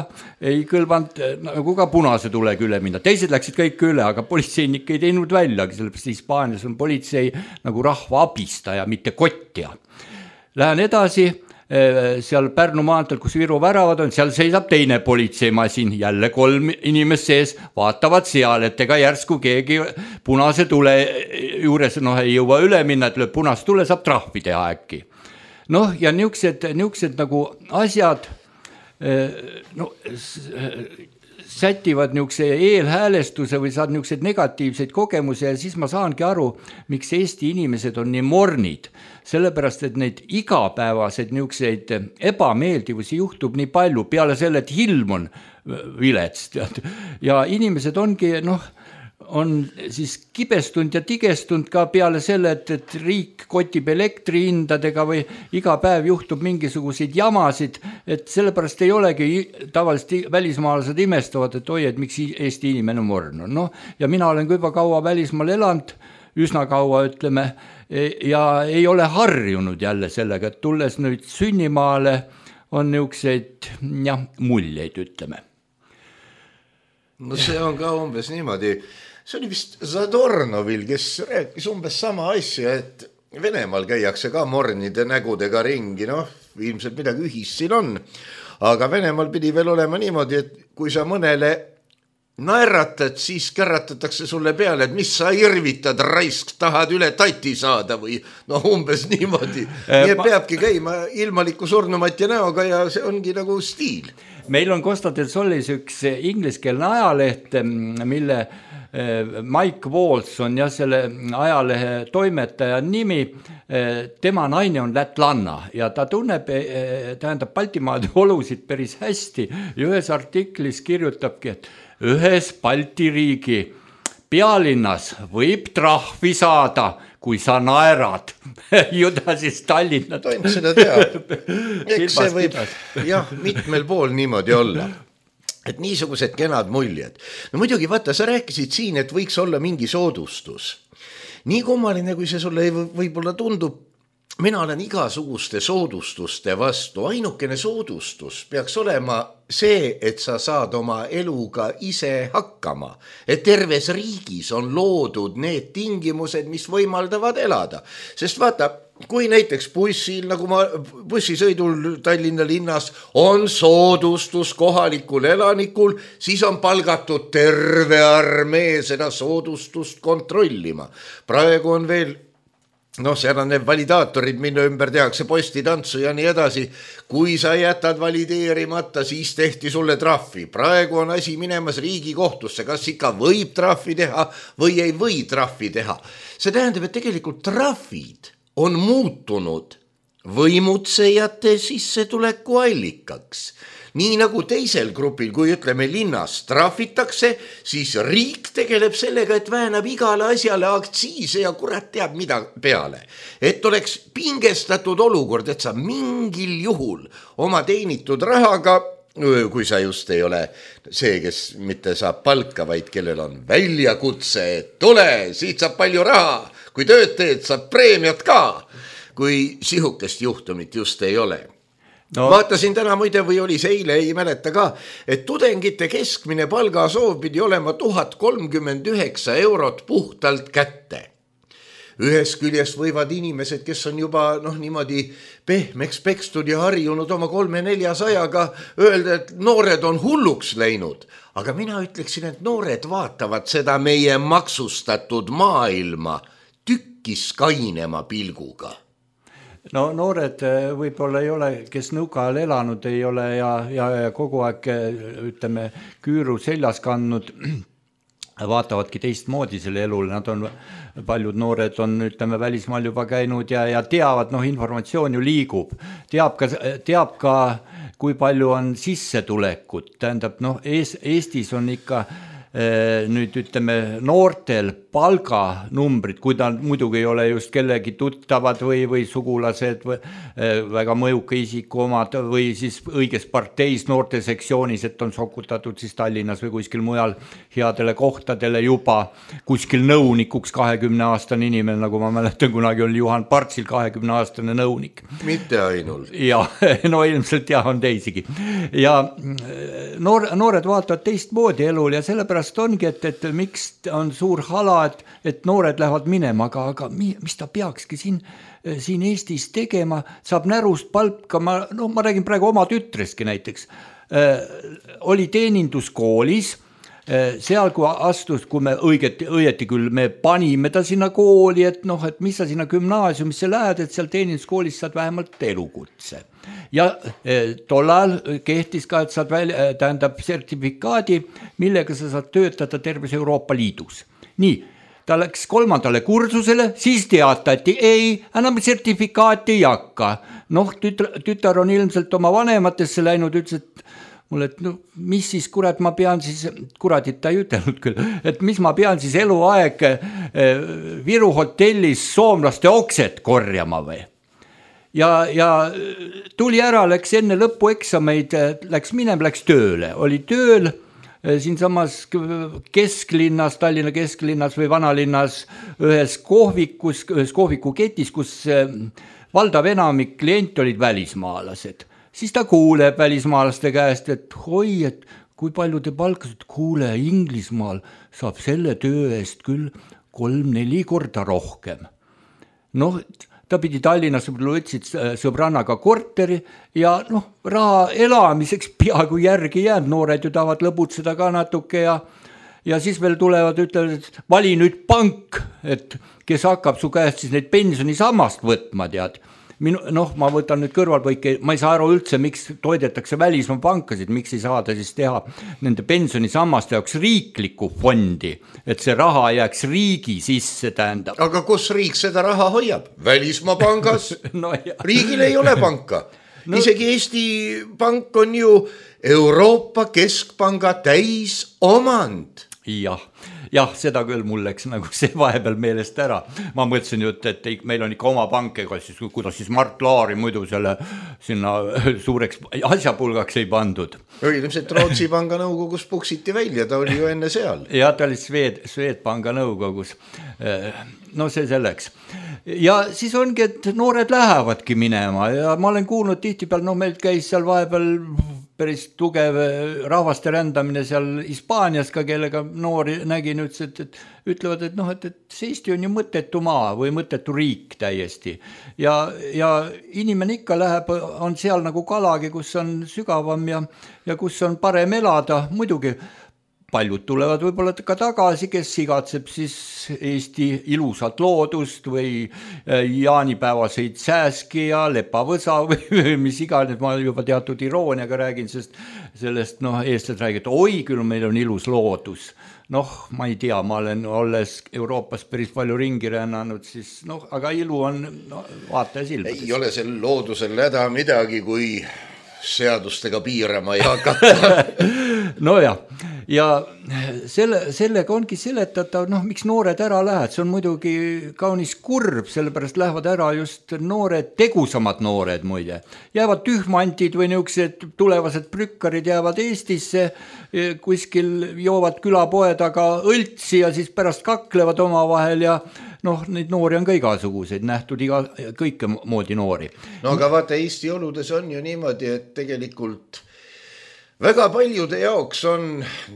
ei kõlvanud nagu ka punase tulega üle minna. Teised läksid kõik üle, aga politseinik ei teinud väljagi, sellepärast Hispaanias on politsei nagu rahva abistaja, mitte kottja. Lähen edasi, seal Pärnu maanteel, kus Viru väravad on, seal seisab teine politseimasin, jälle 3 inimest sees, vaatavad seal, et ega järsku keegi punase tule juures ei jõua üle minna, et lööb punase tule, saab trahvi teha äkki. Noh, ja niisugused nagu asjad sätivad niisuguse eelhäälestuse või saad niisuguseid negatiivseid kogemusi ja siis ma saangi aru, miks Eesti inimesed on nii mornid. Sellepärast, et neid igapäevaseid niisuguseid ebameeldivusi juhtub nii palju peale selle, et ilm on vilets. Ja inimesed ongi, on siis kibestunud ja tigestunud ka peale selle, et riik kotib elektrihindadega või iga päev juhtub mingisuguseid jamasid, et sellepärast ei olegi tavaliselt välismaalased imestavad, et oi, et miks Eesti inimene morn on. Ja mina olen juba kaua välismaal elanud, üsna kaua ütleme, ja ei ole harjunud jälle sellega, et tulles nüüd sünnimaale on niisuguseid muljeid, ütleme. No see on ka umbes niimoodi. See oli vist Zadornovil, kes rääkis umbes sama asja, et Venemaal käiakse ka mornide nägudega ringi, ilmselt midagi ühist siin on, aga Venemaal pidi veel olema niimoodi, et kui sa mõnele naeratad, siis kärratatakse sulle peale, et mis sa irvitad, raisk, tahad üle tati saada või umbes niimoodi. Nii peabki käima ilmaliku surnumatja näoga ja see ongi nagu stiil. Meil on Costa del Solis üks ingliskeelne ajaleht, mille Mike Walls on selle ajalehe toimetaja nimi, tema naine on lätlanna ja ta tunneb, tähendab Baltimaade olusid päris hästi ja ühes artiklis kirjutabki, et ühes Balti riigi pealinnas võib trahvi saada, kui sa naerad. Ju ta siis Tallinna. Toim seda teab. Eks see võib mitmel pool niimoodi olla. Et niisugused kenad muljed. No muidugi, vaata, sa rääkisid siin, et võiks olla mingi soodustus. Nii kummaline, kui see sulle võib-olla tundub, mina olen igasuguste soodustuste vastu. Ainukene soodustus peaks olema see, et sa saad oma eluga ise hakkama. Et terves riigis on loodud need tingimused, mis võimaldavad elada. Sest vaata, kui näiteks bussil, nagu bussisõidul Tallinna linnas on soodustus kohalikul elanikul, siis on palgatud terve armee seda soodustust kontrollima. Praegu on veel noh, seal on need validaatorid, mille ümber tehakse postitantsu ja nii edasi. Kui sa jätad valideerimata, siis tehti sulle trahvi. Praegu on asi minemas Riigikohtusse, kas ikka võib trahvi teha või ei või trahvi teha. See tähendab, et tegelikult trahvid on muutunud võimutsejate sissetuleku allikaks. Nii nagu teisel grupil, kui ütleme linnas trahvitakse, siis riik tegeleb sellega, et väänab igale asjale aktsiise ja kurat teab mida peale. Et oleks pingestatud olukord, et sa mingil juhul oma teenitud rahaga, kui sa just ei ole see, kes mitte saab palka, vaid kellel on väljakutse, et tule, siit saab palju raha, kui tööd teed, saab preemiat ka, kui sihukest juhtumit just ei ole. No. Vaatasin täna muide või oli see eile, ei mäleta ka, et tudengite keskmine palgasoov pidi olema 1039 eurot puhtalt kätte. Ühes küljest võivad inimesed, kes on juba niimoodi pehmeks pekstud ja harjunud oma 300-400-ga öelda, et noored on hulluks läinud. Aga mina ütleksin, et noored vaatavad seda meie maksustatud maailma tükkis kainema pilguga. No noored võib-olla ei ole, kes nõuka ajal elanud ei ole ja kogu aeg ütleme küüru seljas kandnud, vaatavadki teistmoodi selle elule, nad on, paljud noored on ütleme välismaal juba käinud ja teavad, informatsioon ju liigub, teab ka kui palju on sissetulekut, tähendab Eestis on ikka nüüd ütleme noortel palganumbrid, kui ta muidugi ei ole just kellegi tuttavad või sugulased või väga mõjuka isiku omad või siis õiges parteis noortesektsioonis, et on sokutatud siis Tallinnas või kuskil mujal headele kohtadele juba kuskil nõunikuks 20-aastane inimene, nagu ma mäletan, kunagi oli Juhan Partsil 20-aastane nõunik. Mitte ainult. Ja, ilmselt on teisigi. Ja noored vaatavad teistmoodi elul ja sellepärast ongi, et miks on suur hala, et noored lähevad minema, aga mis ta peakski siin Eestis tegema, saab närust palka, ma räägin praegu oma tütrestki näiteks, oli teeninduskoolis, seal kui astus, kui me õieti küll, me panime ta sinna kooli, et mis sa sinna gümnaasiumisse lähed, et seal teeninduskoolis saad vähemalt elukutse. Ja tollal kehtis ka, et saad tähendab sertifikaadi, millega sa saad töötada terves Euroopa Liidus. Nii, ta läks 3. kursusele, siis teatati, ei, enam sertifikaati ei hakka. Tütar on ilmselt oma vanematesse läinud, ütles, et mulle, et mis siis kurat ma pean siis, kuradit ta ei ütelnud küll, et mis ma pean siis eluaeg Viru hotellis soomlaste okset korjama või? Ja tuli ära, läks enne lõpueksameid, läks tööle, oli tööl siinsamas kesklinnas, Tallinna kesklinnas või vanalinnas ühes kohvikuketis, kus valdav enamik klient olid välismaalased. Siis ta kuuleb välismaalaste käest, et hoi, et kui palju te palkasite, kuule, Inglismaal saab selle töö eest küll 3-4 korda rohkem. Ta pidi Tallinnas, võtsid sõbrannaga korteri ja raha elamiseks peaaegu järgi jäänud, noored ju tahavad lõbutseda ka natuke ja siis veel tulevad, ütlevad, et vali nüüd pank, et kes hakkab su käest siis neid pensionisammast võtma, tead. Ma võtan nüüd kõrvalpõike, ma ei saa aru üldse, miks toidetakse välismaa pankasid, miks ei saada siis teha nende pensionisammaste jaoks riiklikku fondi, et see raha jääks riigi sisse, tähendab. Aga kus riik seda raha hoiab? Välismaa pangas? Riigil ei ole panka. Isegi Eesti pank on ju Euroopa Keskpanga täis omand. Jah, seda küll mul läks nagu see vahepeal meelest ära. Ma mõtlesin ju, et meil on ikka oma pank, kuidas siis Mart Laari muidu selle sinna suureks asjapulgaks ei pandud. Ilmselt Rootsi panga nõukogus puksiti välja, ta oli ju enne seal. Ja ta oli Swedbanka nõukogus. See selleks. Ja siis ongi, et noored lähevadki minema ja ma olen kuulnud tihtipeal, meil käis seal vahepeal päris tugev rahvaste rändamine seal Hispaanias ka, kellega noori nägin, ütlevad, et see Eesti on ju mõttetu maa või mõttetu riik täiesti. Ja inimene ikka läheb, on seal nagu kalagi, kus on sügavam ja kus on parem elada. Muidugi paljud tulevad võib-olla ka tagasi, kes igatseb siis Eesti ilusat loodust või jaanipäevaseid sääski ja lepavõsa või mis iganes, ma juba teatud irooniaga räägin, sest sellest eestlased räägivad, oi küll meil on ilus loodus. Ma ei tea, ma olen olles Euroopas päris palju ringi rännanud, siis aga ilu on vaataja silmades. Ei ole sel loodusel häda midagi, kui seadustega piirama ei hakata. ja sellega ongi seletatav, miks noored ära lähevad, see on muidugi kaunis kurb, sellepärast lähevad ära just noored, tegusamad noored muide. Jäävad tühmantid või niisugused tulevased prükkarid jäävad Eestisse, kuskil joovad külapoe taga õltsi ja siis pärast kaklevad omavahel ja neid noori on ka igasuguseid, nähtud kõike moodi noori. Aga vaata, Eesti oludes on ju niimoodi, et tegelikult väga paljude jaoks on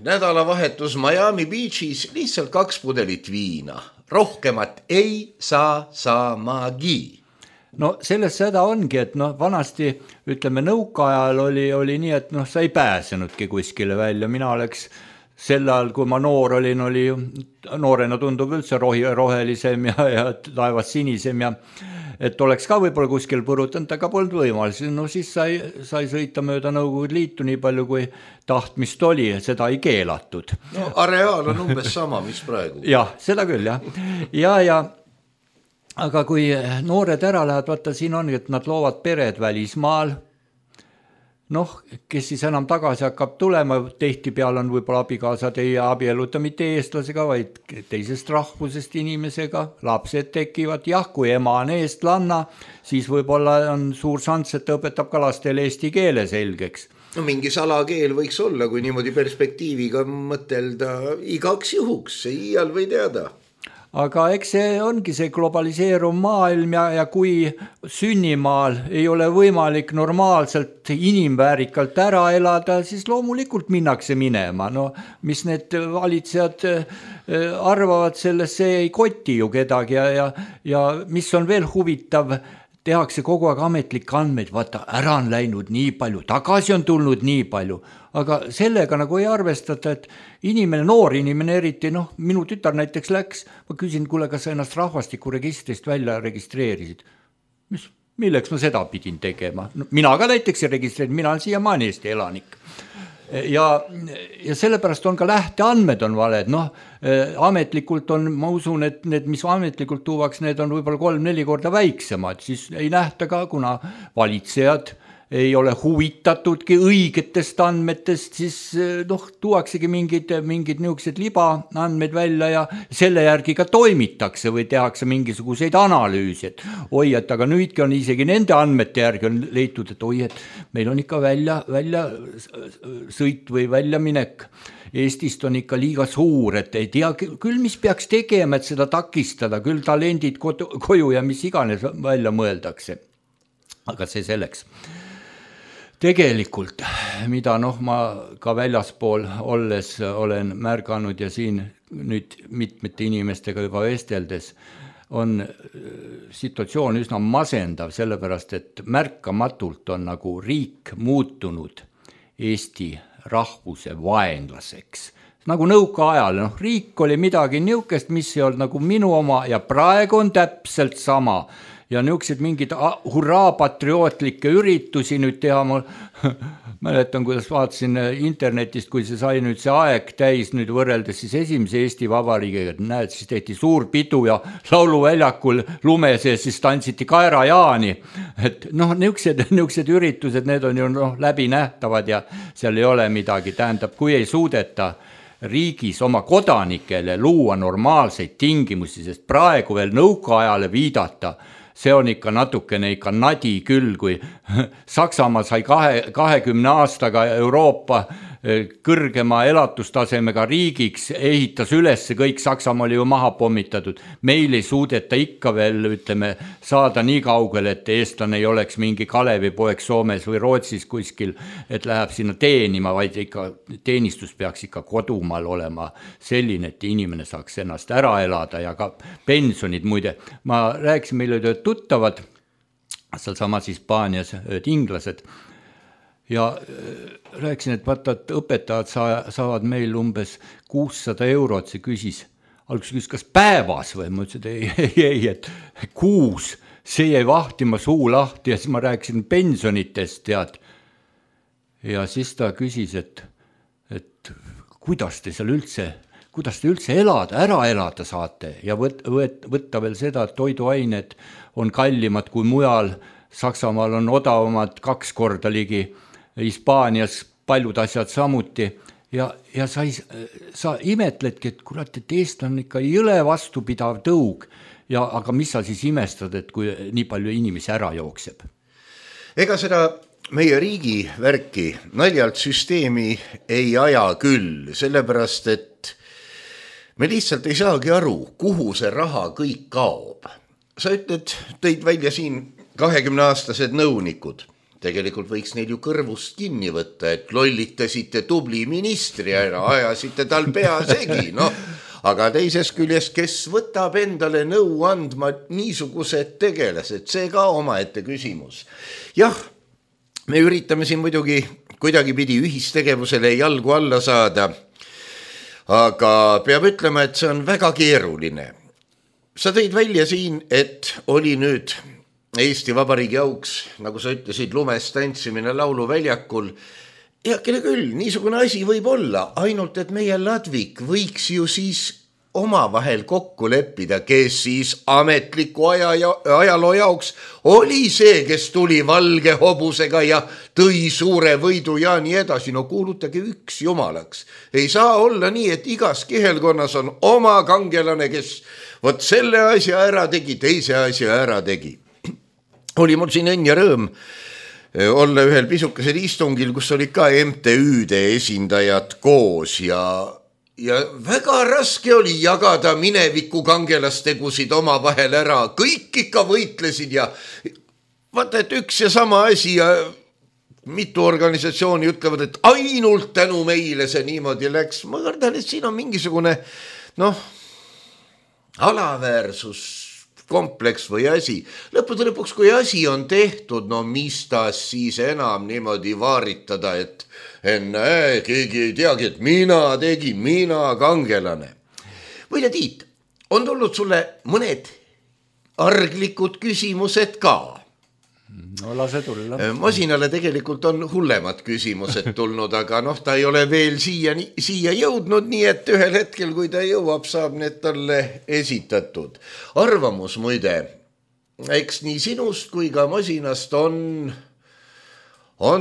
nädalavahetus Miami Beachis lihtsalt 2 pudelit viina. Rohkemat ei saa saamagi. Selles seda ongi, et vanasti, ütleme, nõukaajal oli nii, et sa ei pääsenudki kuskile välja. Mina oleks sel ajal, kui ma noor olin, oli noorena tundub üldse rohelisem ja taevas sinisem ja et oleks ka võib-olla kuskil põrutanud, aga polnud võimalus. Siis sai sõita mööda Nõukogude Liitu nii palju, kui tahtmist oli, seda ei keelatud. Areaal on umbes sama, mis praegu. Jah, seda küll, ja aga kui noored ära lähevad, vaata siin on, et nad loovad pered välismaal, kes siis enam tagasi hakkab tulema, tehti peal on võib-olla abikaasad ei abieluta mitte eestlasega, vaid teisest rahvusest inimesega, lapsed tekivad, kui ema on eestlanna, siis võib-olla on suur šans, et ta õpetab ka lastele eesti keele selgeks. Mingi salakeel võiks olla, kui niimoodi perspektiiviga mõtelda igaks juhuks, iial või teada. Aga eks see ongi see globaliseeruv maailm ja kui sünnimaal ei ole võimalik normaalselt inimväärikalt ära elada, siis loomulikult minnakse minema. Mis need valitsejad arvavad sellest, see ei koti ju kedagi ja mis on veel huvitav, tehakse kogu aeg ametlikke andmeid, vaata, ära on läinud nii palju, tagasi on tulnud nii palju, aga sellega nagu ei arvestata, et noor inimene eriti, minu tütar näiteks läks, ma küsin, kuule, kas sa ennast rahvastikuregistrist välja registreerisid? Milleks ma seda pidin tegema? Mina ka näiteks ei registreerinud, mina olen siiamaani Eesti elanik. Ja sellepärast on ka lähteandmed on valed, ametlikult on, ma usun, et need, mis ametlikult tuuaks, need on võib-olla 3-4 korda väiksemad, siis ei nähta ka, kuna valitsejad ei ole huvitatudki õigetest andmetest, siis tuuaksegi mingid niisugused libaandmeid välja ja selle järgi ka toimitakse või tehakse mingisuguseid analüüsi, et oi, et aga nüüdki on isegi nende andmete järgi on leitud, et oi, et meil on ikka välja sõit või väljaminek Eestist on ikka liiga suur, et ei tea küll, mis peaks tegema, et seda takistada, küll talendid koju ja mis iganes välja mõeldakse. Aga see selleks. Tegelikult, mida ma ka väljaspool olles olen märganud ja siin nüüd mitmete inimestega juba vesteldes, on situatsioon üsna masendav, sellepärast, et märkamatult on nagu riik muutunud Eesti rahvuse vaenlaseks. Nagu nõukaajal, riik oli midagi niisugust, mis ei olnud nagu minu oma ja praegu on täpselt sama. Ja niisugused mingid hurraa patriootlikke üritusi nüüd teha, ma mäletan, kuidas vaatasin internetist, kui see sai nüüd see aeg täis nüüd võrreldes siis esimese Eesti Vabariigiga, et näed, siis tehti suur pidu ja lauluväljakul lume sees siis tantsiti Kaerajaani, et niisugused üritused, need on ju läbi nähtavad ja seal ei ole midagi, tähendab, kui ei suudeta riigis oma kodanikele luua normaalseid tingimusi, sest praegu veel nõukaajale viidata, see on ikka natukene ikka nadi küll, kui Saksamaa sai 20 aastaga Euroopa kõrgema elatustasemega riigiks, ehitas üles, kõik Saksamaa oli ju maha pommitatud. Meil ei suudeta ikka veel, ütleme, saada nii kaugele, et eestlane ei oleks mingi Kalevipoeg Soomes või Rootsis kuskil, et läheb sinna teenima, vaid ikka teenistus peaks ikka kodumaal olema selline, et inimene saaks ennast ära elada ja ka pensionid muide. Ma rääkisin, meil olid tuttavad, seal samas Hispaanias inglased, ja rääkisin, et vaata, et õpetajad saavad meil umbes 600 eurot, see küsis, alguses kas päevas või, ma ütlesin, et ei, et kuus, see jäi vahtima suu lahti ja siis ma rääkisin pensionitest, tead. Ja siis ta küsis, et kuidas te üldse ära elada saate ja võtta veel seda, et toiduained on kallimad kui mujal, Saksamaal on odavamad 2 korda ligi, Hispaanias paljud asjad samuti ja sa imetledki, et kurat, et Eesti on ikka jõle vastupidav tõug ja aga mis sa siis imestad, et kui nii palju inimesi ära jookseb? Ega seda meie riigi värki naljalt süsteemi ei aja küll, sellepärast, et me lihtsalt ei saagi aru, kuhu see raha kõik kaob. Sa ütled, tõid välja siin 20-aastased nõunikud. Tegelikult võiks neil ju kõrvust kinni võtta, et lollitasite tubli ministri ära, ajasite tal pea segi, aga teises küljest, kes võtab endale nõu andma niisugused tegelased, see ka omaette küsimus. Jah, me üritame siin muidugi kuidagipidi ühistegevusele jalgu alla saada, aga peab ütlema, et see on väga keeruline. Sa tõid välja siin, et oli nüüd Eesti Vabariigi auks, nagu sa ütlesid, lumes tantsimine lauluväljakul. Ja kelle küll, niisugune asi võib olla, ainult et meie Ladvik võiks ju siis omavahel kokku leppida, kes siis ametliku ajaloo jaoks oli see, kes tuli valge hobusega ja tõi suure võidu ja nii edasi. No kuulutage üks jumalaks. Ei saa olla nii, et igas kihelkonnas on oma kangelane, kes võt selle asja ära tegi, teise asja ära tegi. Oli mul siin õnn ja rõõm olla ühel pisukesel istungil, kus oli ka MTÜ-de esindajad koos ja väga raske oli jagada mineviku kangelastegusid oma vahel ära. Kõik ikka võitlesid ja vaata, et üks ja sama asi ja mitu organisatsiooni ütlevad, et ainult tänu meile see niimoodi läks. Ma kardan, et siin on mingisugune alaväärsus kompleks või asi. Lõppude lõpuks, kui asi on tehtud, mis ta siis enam niimoodi vaaritada, et keegi ei teagi, et mina tegin, mina kangelane. Võile Tiit, on tulnud sulle mõned arglikud küsimused ka? No lase tulla. Masinale tegelikult on hullemad küsimused tulnud, aga ta ei ole veel siia jõudnud, nii et ühel hetkel, kui ta jõuab, saab need talle esitatud. Arvamus muide, eks nii sinust kui ka masinast on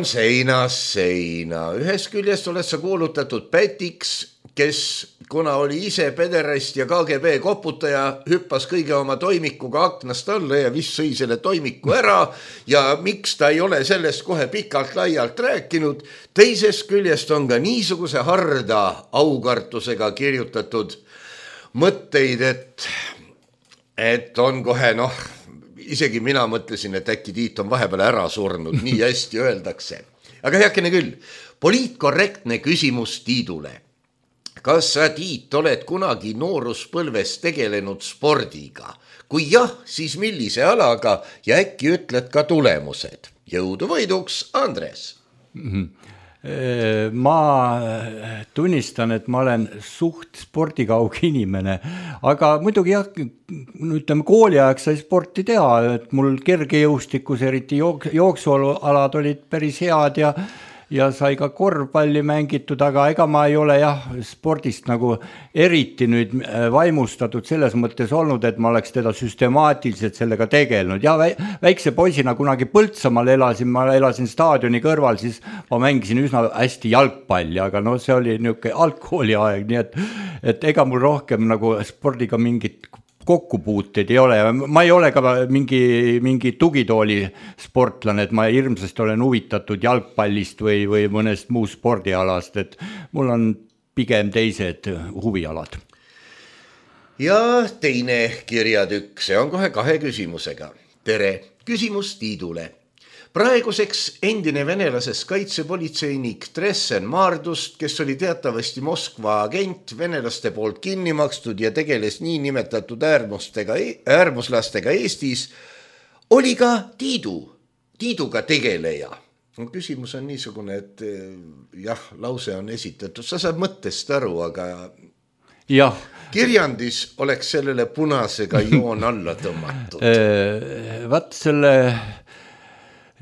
seinas seina. Ühes küljest oled sa kuulutatud pätiks, kes kuna oli ise pederast ja KGB koputaja, hüppas kõige oma toimikuga aknast alla ja vist sõi selle toimiku ära ja miks ta ei ole sellest kohe pikalt laialt rääkinud. Teises küljest on ka niisuguse harda aukartusega kirjutatud mõtteid, et on kohe isegi mina mõtlesin, et äkki Tiit on vahepeal ära surnud, nii hästi öeldakse. Aga heakene küll, poliitkorrektne küsimus Tiidule. Kas sa, Tiit, oled kunagi nooruspõlves tegelenud spordiga? Kui jah, siis millise alaga ja äkki ütled ka tulemused? Jõudu võiduks, Andres! Ma tunnistan, et ma olen suht spordikaug inimene, aga muidugi jah, ütleme kooliaeg sai sporti teha, et mul kergejõustikus, eriti jooksualad olid päris head ja sai ka korvpalli mängitud, aga ega ma ei ole spordist nagu eriti nüüd vaimustatud selles mõttes olnud, et ma oleks teda süstemaatiliselt sellega tegelenud. Ja väikse poisina kunagi Põltsamaal ma elasin staadioni kõrval, siis ma mängisin üsna hästi jalgpalli, aga see oli niisugune algkooliaeg, nii et ega mul rohkem nagu spordiga mingit kokkupuuteid ei ole. Ma ei ole ka mingi tugitooli sportlane, et ma hirmsasti olen huvitatud jalgpallist või mõnest muust spordialast, et mul on pigem teised huvialad. Ja teine kirjatükk, see on kohe 2 küsimusega. Tere, küsimus Tiidule. Praeguseks endine venelasest kaitsepolitseinik Tressen Maardust, kes oli teatavasti Moskva agent, venelaste poolt kinni makstud ja tegeles nii nimetatud äärmuslastega Eestis, oli ka Tiiduga tegeleja. Küsimus on niisugune, et jah, lause on esitatud, sa saad mõttest aru, aga jah. Kirjandis oleks sellele punasega joon alla tõmmatud. Vaat selle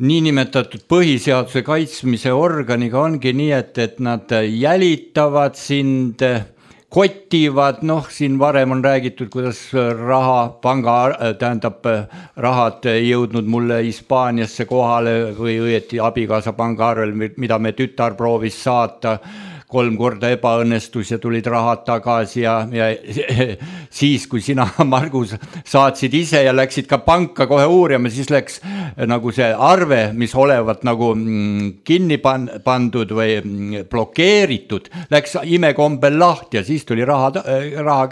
niinimetatud põhiseaduse kaitsmise organiga ongi nii, et nad jälitavad sind, kotivad, siin varem on räägitud, kuidas rahad jõudnud mulle Hispaaniasse kohale või õieti abikaasa pangaarvel, mida me tütar proovis saata, 3 korda ebaõnnestus ja tulid rahad tagasi ja siis, kui sina, Margus, saatsid ise ja läksid ka panka kohe uurima, siis läks nagu see arve, mis olevat nagu kinni pandud või blokeeritud, läks imekombel lahti ja siis tuli raha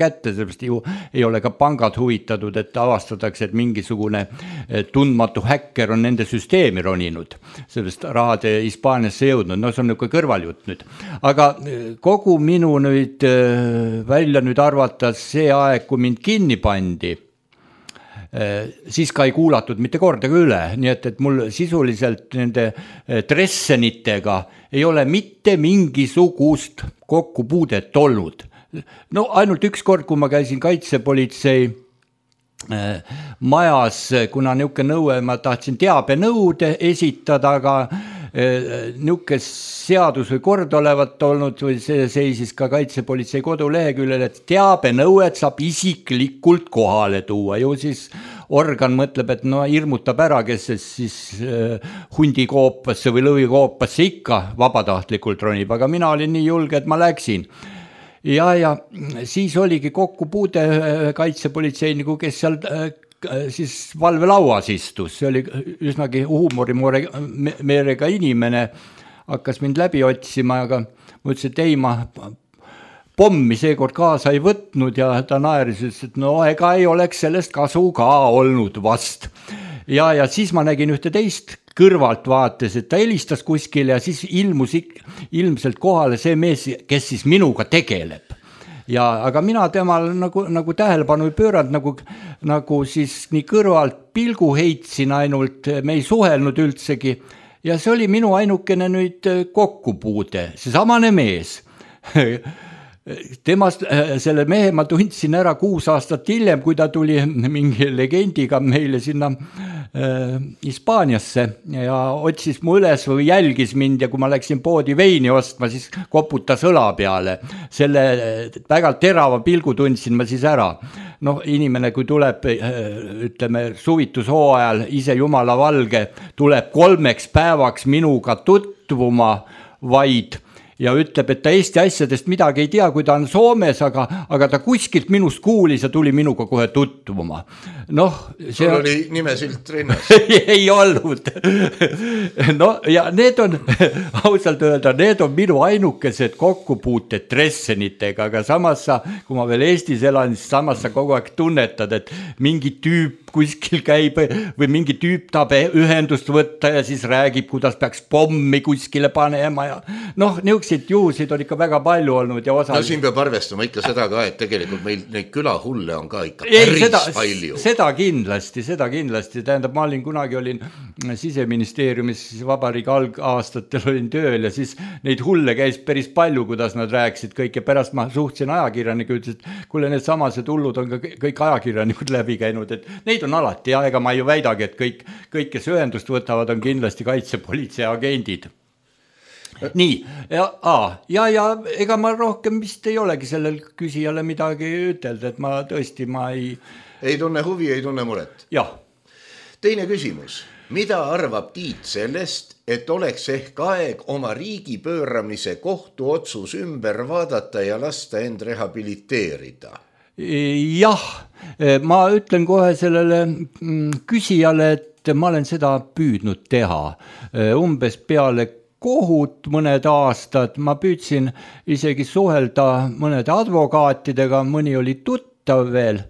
kätte, sellepärast ju ei ole ka pangad huvitatud, et avastatakse, et mingisugune tundmatu häkker on nende süsteemi roninud, sellepärast rahad Hispaaniasse jõudnud, see on niisugune kõrvaljutt nüüd, aga kogu minu nüüd välja nüüd arvatas see aeg, kui mind kinni pandi, siis ka ei kuulatud mitte kordagi üle, nii et mul sisuliselt nende Dressenitega ei ole mitte mingisugust kokkupuudet olnud. No ainult üks kord, kui ma käisin kaitsepolitsei majas, kuna niisugune nõue, ma tahtsin teabenõude esitada, aga niisugune seadus või kord olevat olnud või see seisis ka kaitsepolitsei koduleheküljel, et teabenõuet saab isiklikult kohale tuua. Ju siis organ mõtleb, et hirmutab ära, kes siis hundikoopasse või lõvikoopasse ikka vabatahtlikult ronib, aga mina olin nii julge, et ma läksin. Ja siis oligi kokkupuude kaitsepolitseiniku, kes seal siis valvelauas istus, see oli üsnagi huumorimeerega inimene, hakkas mind läbi otsima, aga ma ütlesin, et ei, ma pommi seekord kaasa ei võtnud ja ta naeris, et ega ei oleks sellest kasu ka olnud vast. Ja siis ma nägin ühte teist kõrvalt vaates, et ta helistas kuskile ja siis ilmus ilmselt kohale see mees, kes siis minuga tegeleb. Aga mina temal nagu tähelepanu ei pööranud, nagu siis nii kõrvalt pilgu heitsin ainult, me ei suhelnud üldsegi ja see oli minu ainukene nüüd kokkupuude, see samane mees. Temast, selle mehe ma tundsin ära 6 aastat hiljem, kui ta tuli mingi legendiga meile sinna Hispaaniasse ja otsis mu üles või jälgis mind ja kui ma läksin poodi veini ostma, siis koputas õla peale. Selle väga terava pilgu tundsin ma siis ära. Inimene, kui tuleb, ütleme, suvitushooajal ise jumala valge, tuleb 3 päevaks minuga tutvuma vaid ja ütleb, et ta Eesti asjadest midagi ei tea, kui ta on Soomes, aga ta kuskilt minust kuulis ja tuli minuga kohe tutvuma. Sul oli nimesilt rinnas? Ei olnud. Ja need on, ausalt öelda, need on minu ainukesed kokkupuuted Dressenitega, aga samas sa, kui ma veel Eestis elan, siis samas sa kogu aeg tunnetad, et mingi tüüp kuskil käib või mingi tüüp tahab ühendust võtta ja siis räägib, kuidas peaks pommi kuskile panema ja niisuguseid juhusid on ikka väga palju olnud ja osa... siin peab arvestama ikka seda ka, et tegelikult meil neid külahulle on ka ikka päris palju. Seda kindlasti, tähendab, ma olin Siseministeeriumis vabariigi algaastatel olin tööl ja siis neid hulle käis päris palju, kuidas nad rääkisid kõik ja pärast ma suhtsin ajakirjaniku, ütles, et kuule, need samased hullud on ka kõik ajakirjanikud läbi käinud, et neid on alati ja ega ma ju väidagi, et kõik, kes ühendust võtavad, on kindlasti kaitsepolitsei agendid. Nii, ja ega ma rohkem vist ei olegi sellel küsijale midagi ütelda, et ma tõesti, ei tunne huvi, ei tunne muret. Jah. Teine küsimus. Mida arvab Tiit sellest, et oleks ehk aeg oma riigi pööramise kohtuotsus ümber vaadata ja lasta end rehabiliteerida? Jah, ma ütlen kohe sellele küsijale, et ma olen seda püüdnud teha. Umbes peale kohut mõned aastad, ma püüdsin isegi suhelda mõnede advokaatidega, mõni oli tuttav veel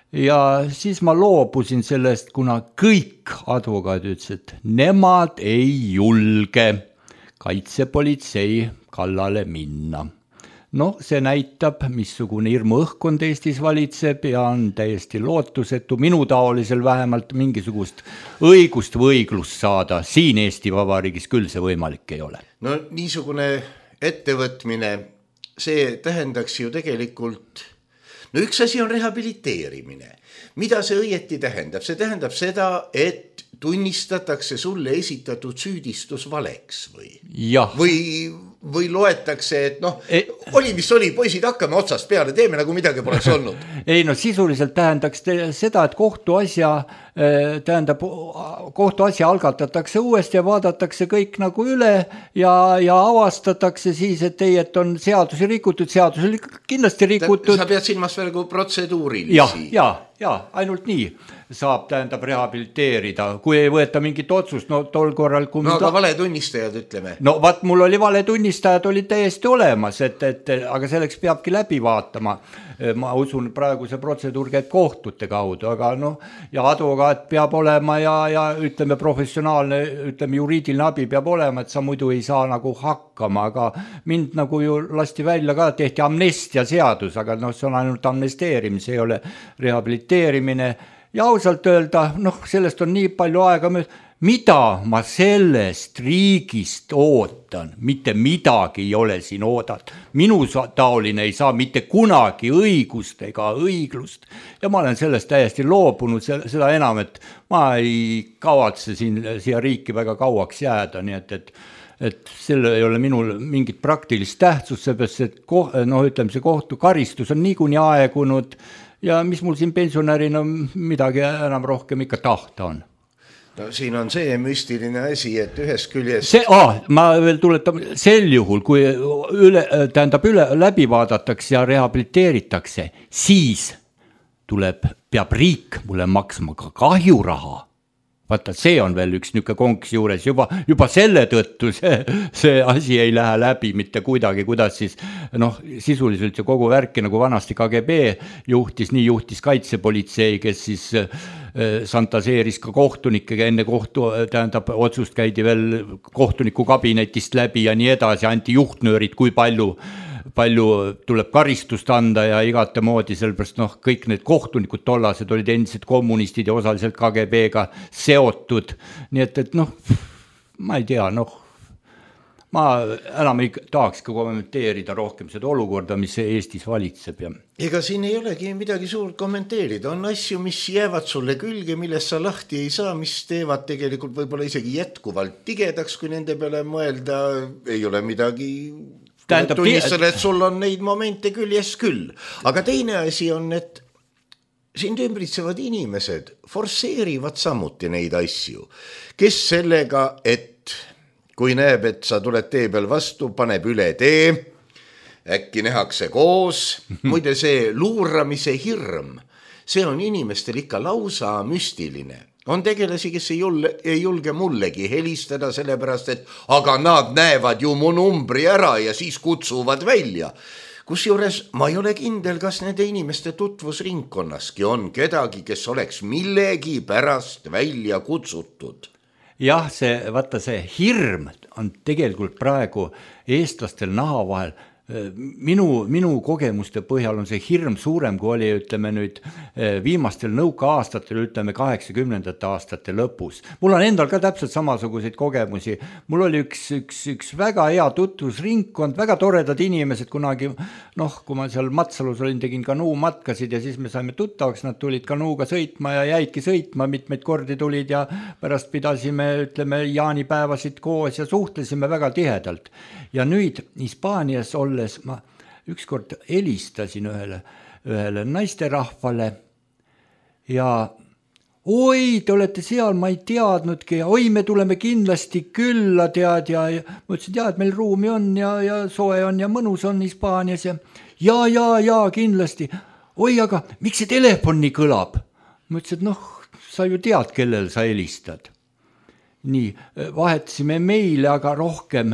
ja siis ma loobusin sellest, kuna kõik advokaadid ütlesid, et nemad ei julge kaitsepolitsei kallale minna. noh, see näitab, missugune hirmu õhkkond Eestis valitseb ja on täiesti lootusetu minu taolisel vähemalt mingisugust õigust või õiglust saada. Siin Eesti Vabariigis küll see võimalik ei ole. No niisugune ettevõtmine, see tähendaks ju tegelikult, no üks asi on rehabiliteerimine. Mida see õieti tähendab? See tähendab seda, et tunnistatakse sulle esitatud süüdistus valeks või loetakse, et noh, oli mis oli, poisid, hakkame otsast peale, teeme nagu midagi poleks olnud. Ei no sisuliselt tähendaks seda, et kohtuasja algatatakse uuesti ja vaadatakse kõik nagu üle ja avastatakse siis, et ei, et on seadusi rikutud, seadusi kindlasti rikutud. Sa pead silmas veel kui protseduurilisi. Ja, ainult nii saab rehabiliteerida, kui ei võeta mingit otsust, no tol korral aga valetunnistajad, ütleme. No vaat mul oli valetunnistajad olid täiesti olemas, aga selleks peabki läbi vaatama. Ma usun, praegu see protseduur käib kohtute kaudu, aga noh, ja advokaat peab olema ja ütleme professionaalne, ütleme juriidiline abi peab olema, et sa muidu ei saa nagu hakkama, aga mind nagu ju lasti välja ka, tehti amnestia seadus, aga noh, see on ainult amnesteerimise, ei ole rehabiliteerimine. Ja ausalt öelda, noh, sellest on nii palju aega, mida ma sellest riigist ootan, mitte midagi ei ole siin oodat. Minu taoline ei saa mitte kunagi õigust ega õiglust ja ma olen sellest täiesti loobunud, seda enam, et ma ei kavatse siia riiki väga kauaks jääda, nii et selle ei ole minul mingit praktilist tähtsust, seepärast, et ütleme, see kohtukaristus on niikuinii aegunud ja mis mul siin pensionärina midagi enam rohkem ikka tahta on. No siin on see müstiline asi, et ühes küljest... Ma veel tuletan, sel juhul, kui läbi vaadatakse ja rehabiliteeritakse, siis peab riik mulle maksma ka kahjuraha. Vaata, see on veel üks niuke konks juures, juba selle tõttu see asi ei lähe läbi mitte kuidagi, kuidas siis, noh, sisuliselt ju kogu värki nagu vanasti KGB juhtis kaitsepolitsei, kes siis santaseeris ka kohtunikega enne otsust käidi veel kohtuniku kabinetist läbi ja nii edasi, anti juhtnöörid, kui palju tuleb karistust anda ja igate moodi, sellepärast kõik need kohtunikud tollased olid endised kommunistid ja osaliselt KGB-ga seotud, nii et ma ei tea, ma enam ei tahaks ka kommenteerida rohkem seda olukorda, mis Eestis valitseb. Ega siin ei olegi midagi suurt kommenteerida, on asju, mis jäävad sulle külge, millest sa lahti ei saa, mis teevad tegelikult võib-olla isegi jätkuvalt tigedaks, kui nende peale mõelda, ei ole midagi... tunnistada, et sul on neid momente küljes küll. Aga teine asi on, et sind ümbritsevad inimesed forsseerivad samuti neid asju, kes sellega, et kui näeb, et sa tuled tee peal vastu, paneb üle tee, äkki nähakse koos, muide see luuramise hirm, see on inimestel ikka lausa müstiline. On tegelasi, kes ei julge mullegi helistada sellepärast, et aga nad näevad ju mu numbri ära ja siis kutsuvad välja. Kusjuures ma ei ole kindel, kas nende inimeste tutvusringkonnaski on kedagi, kes oleks millegi pärast välja kutsutud. Jah, see hirm on tegelikult praegu eestlastel naha vahel. Minu kogemuste põhjal on see hirm suurem, kui oli, ütleme nüüd, viimastel nõukaaastatel, ütleme 80. aastate lõpus. Mul on endal ka täpselt samasuguseid kogemusi. Mul oli üks väga hea tutvusringkond, väga toredad inimesed kunagi, kui ma seal Matsalus olin, tegin kanuumatkasid ja siis me saime tuttavaks, nad tulid kanuuga sõitma ja jäidki sõitma, mitmeid kordi tulid ja pärast pidasime, ütleme, jaanipäevasid koos ja suhtlesime väga tihedalt. Ja nüüd Hispaanias ma ükskord helistasin ühele naisterahvale ja oi, te olete seal, ma ei teadnudki ja oi, me tuleme kindlasti külla, tead, ja ma ütlesin, et meil ruumi on ja soe on ja mõnus on Hispaanias ja kindlasti. Oi, aga miks see telefon nii kõlab? Ma ütlesin, et sa ju tead, kellel sa helistad. Nii, vahetasime meile, aga rohkem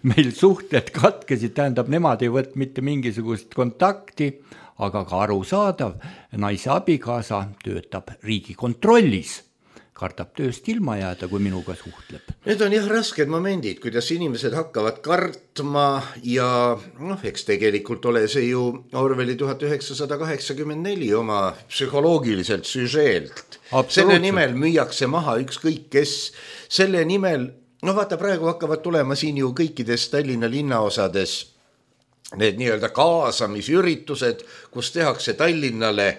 meil suhted katkesid, tähendab, nemad ei võtnud mitte mingisugust kontakti, aga ka arusaadav, naise abikaasa töötab Riigikontrollis. kardab tööst ilma jääda, kui minuga suhtleb. Need on jah rasked momendid, kuidas inimesed hakkavad kartma ja eks tegelikult ole see ju Orwelli 1984 oma psühholoogiliselt süžeelt. Selle nimel müüakse maha ükskõik kes, selle nimel, vaata praegu hakkavad tulema siin ju kõikides Tallinna linnaosades need nii-öelda kaasamisüritused, kus tehakse Tallinnale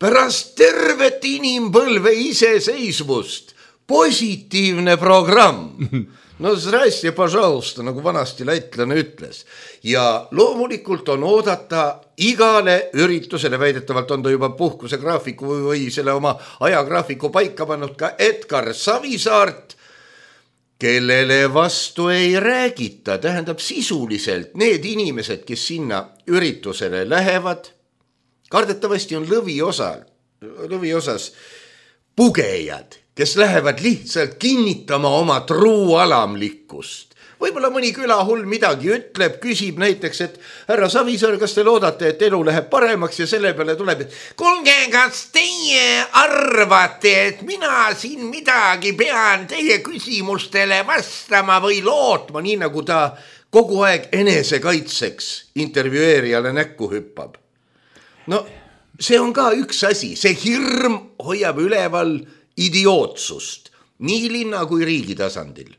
pärast tervet inimpõlve iseseisvust positiivne programm. No zdrastie, пожалуйста, nagu vanasti lätlane ütles. Ja loomulikult on oodata igale üritusele, väidetavalt on ta juba puhkuse graafiku või selle oma ajagraafiku paika pannud ka Edgar Savisaart, kellele vastu ei räägita, tähendab sisuliselt need inimesed, kes sinna üritusele lähevad, kardetavasti on lõviosas pugejad, kes lähevad lihtsalt kinnitama oma truualamlikkust. Võib-olla mõni külahull midagi ütleb, küsib näiteks, et härra Savisaar, kas te loodate, et elu läheb paremaks ja selle peale tuleb, et kuulge, kas teie arvate, et mina siin midagi pean teie küsimustele vastama või lootma, nii nagu ta kogu aeg enesekaitseks intervjueerijale näkku hüppab. No see on ka üks asi, see hirm hoiab üleval idiootsust nii linna kui riigi tasandil.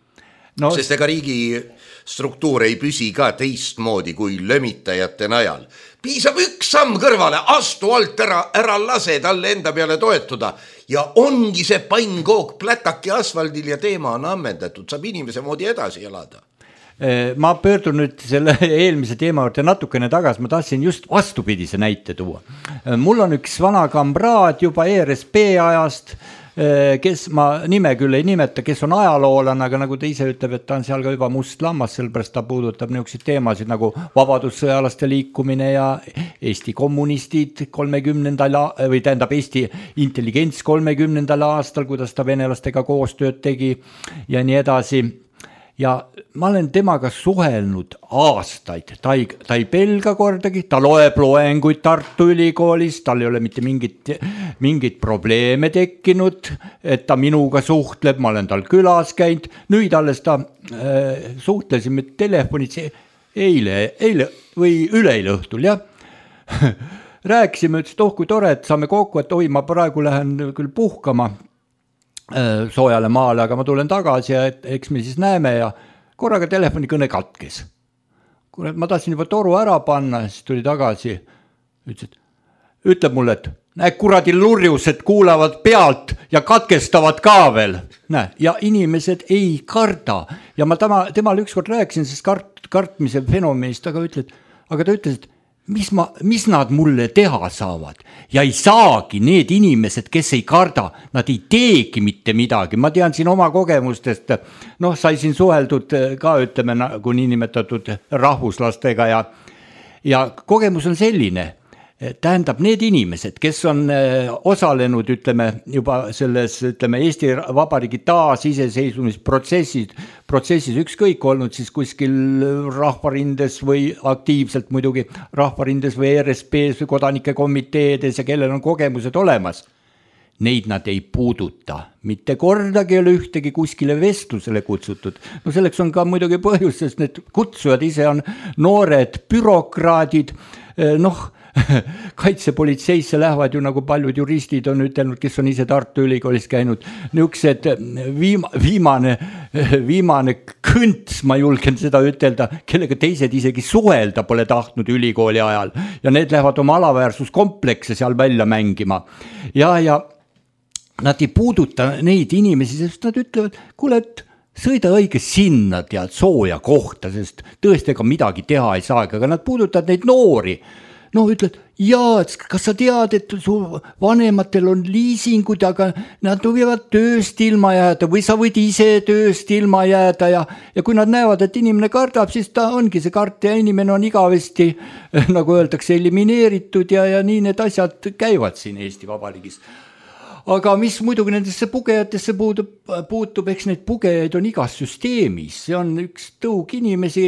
Sest ega riigi struktuur ei püsi ka teistmoodi kui lömitajate najal. Piisab üks samm kõrvale, astu alt ära lase talle enda peale toetuda ja ongi see pannkook plätaki asfaldil ja teema on ammendatud, saab inimese moodi edasi elada. Ma pöördun nüüd selle eelmise teema juurde natukene tagasi, ma tahtsin just vastupidise näite tuua. Mul on üks vana kamraad juba ERSP ajast, kes ma nime küll ei nimeta, kes on ajaloolan, aga nagu ta ise ütleb, et ta on seal ka juba must lammas, sellepärast ta puudutab niisuguseid teemasid nagu vabadussõjalaste liikumine ja Eesti kommunistid 30. või tähendab Eesti intelligents 30. aastal, kuidas ta venelastega koostööd tegi ja nii edasi. Ja ma olen temaga suhelnud aastaid, ta ei pelga kordagi, ta loeb loenguid Tartu Ülikoolis, tal ei ole mitte mingit probleeme tekkinud, et ta minuga suhtleb, ma olen tal külas käinud, nüüd alles ta suhtlesime telefonit eile või üleeile õhtul, jah. Rääkisime, ütles, et kui tore, et saame kokku, et ma praegu lähen küll puhkama soojale maale, aga ma tulen tagasi ja eks me siis näeme ja korraga telefonikõne katkes. Ma tahtsin juba toru ära panna, siis tuli tagasi, ütleb mulle, et näe kuradi lurjused kuulavad pealt ja katkestavad ka veel. Ja inimesed ei karda. Ja ma temal ükskord rääkisin, sest kartmise fenomenist, aga ta ütles, et mis nad mulle teha saavad ja ei saagi need inimesed, kes ei karda, nad ei teegi mitte midagi. Ma tean siin oma kogemustest, sai siin suheldud ka ütleme nagu niinimetatud rahvuslastega ja kogemus on selline, tähendab need inimesed, kes on osalenud ütleme juba selles Eesti Vabariigi taasiseseisvumisprotsessis ükskõik olnud siis kuskil rahvarindes või aktiivselt muidugi rahvarindes või ERSP-s või kodanike komiteedes ja kellel on kogemused olemas. Neid nad ei puuduta, mitte kordagi ei ole ühtegi kuskile vestlusele kutsutud. Selleks on ka muidugi põhjus, sest need kutsujad ise on noored bürokraadid, kaitsepolitseisse lähevad ju nagu paljud juristid on ütelnud, kes on ise Tartu Ülikoolis käinud, niisugused viimane kõnts, ma julgen seda ütelda, kellega teised isegi suhelda pole tahtnud ülikooli ajal ja need lähevad oma alaväärsuskomplekse seal välja mängima ja nad ei puuduta neid inimesi, sest nad ütlevad, kuule, et sõida õige sinna tead sooja kohta, sest tõesti ega midagi teha ei saagi, aga nad puudutavad neid noori. Ütled, kas sa tead, et su vanematel on liisingud, aga nad võivad tööst ilma jääda või sa võid ise tööst ilma jääda ja kui nad näevad, et inimene kardab, siis ta ongi see kart ja inimene on igavesti, nagu öeldakse, elimineeritud ja nii need asjad käivad siin Eesti Vabariigis. Aga mis muidugi nendesse pugejatesse puutub, eks neid pugejaid on igas süsteemis. See on üks tõug inimesi,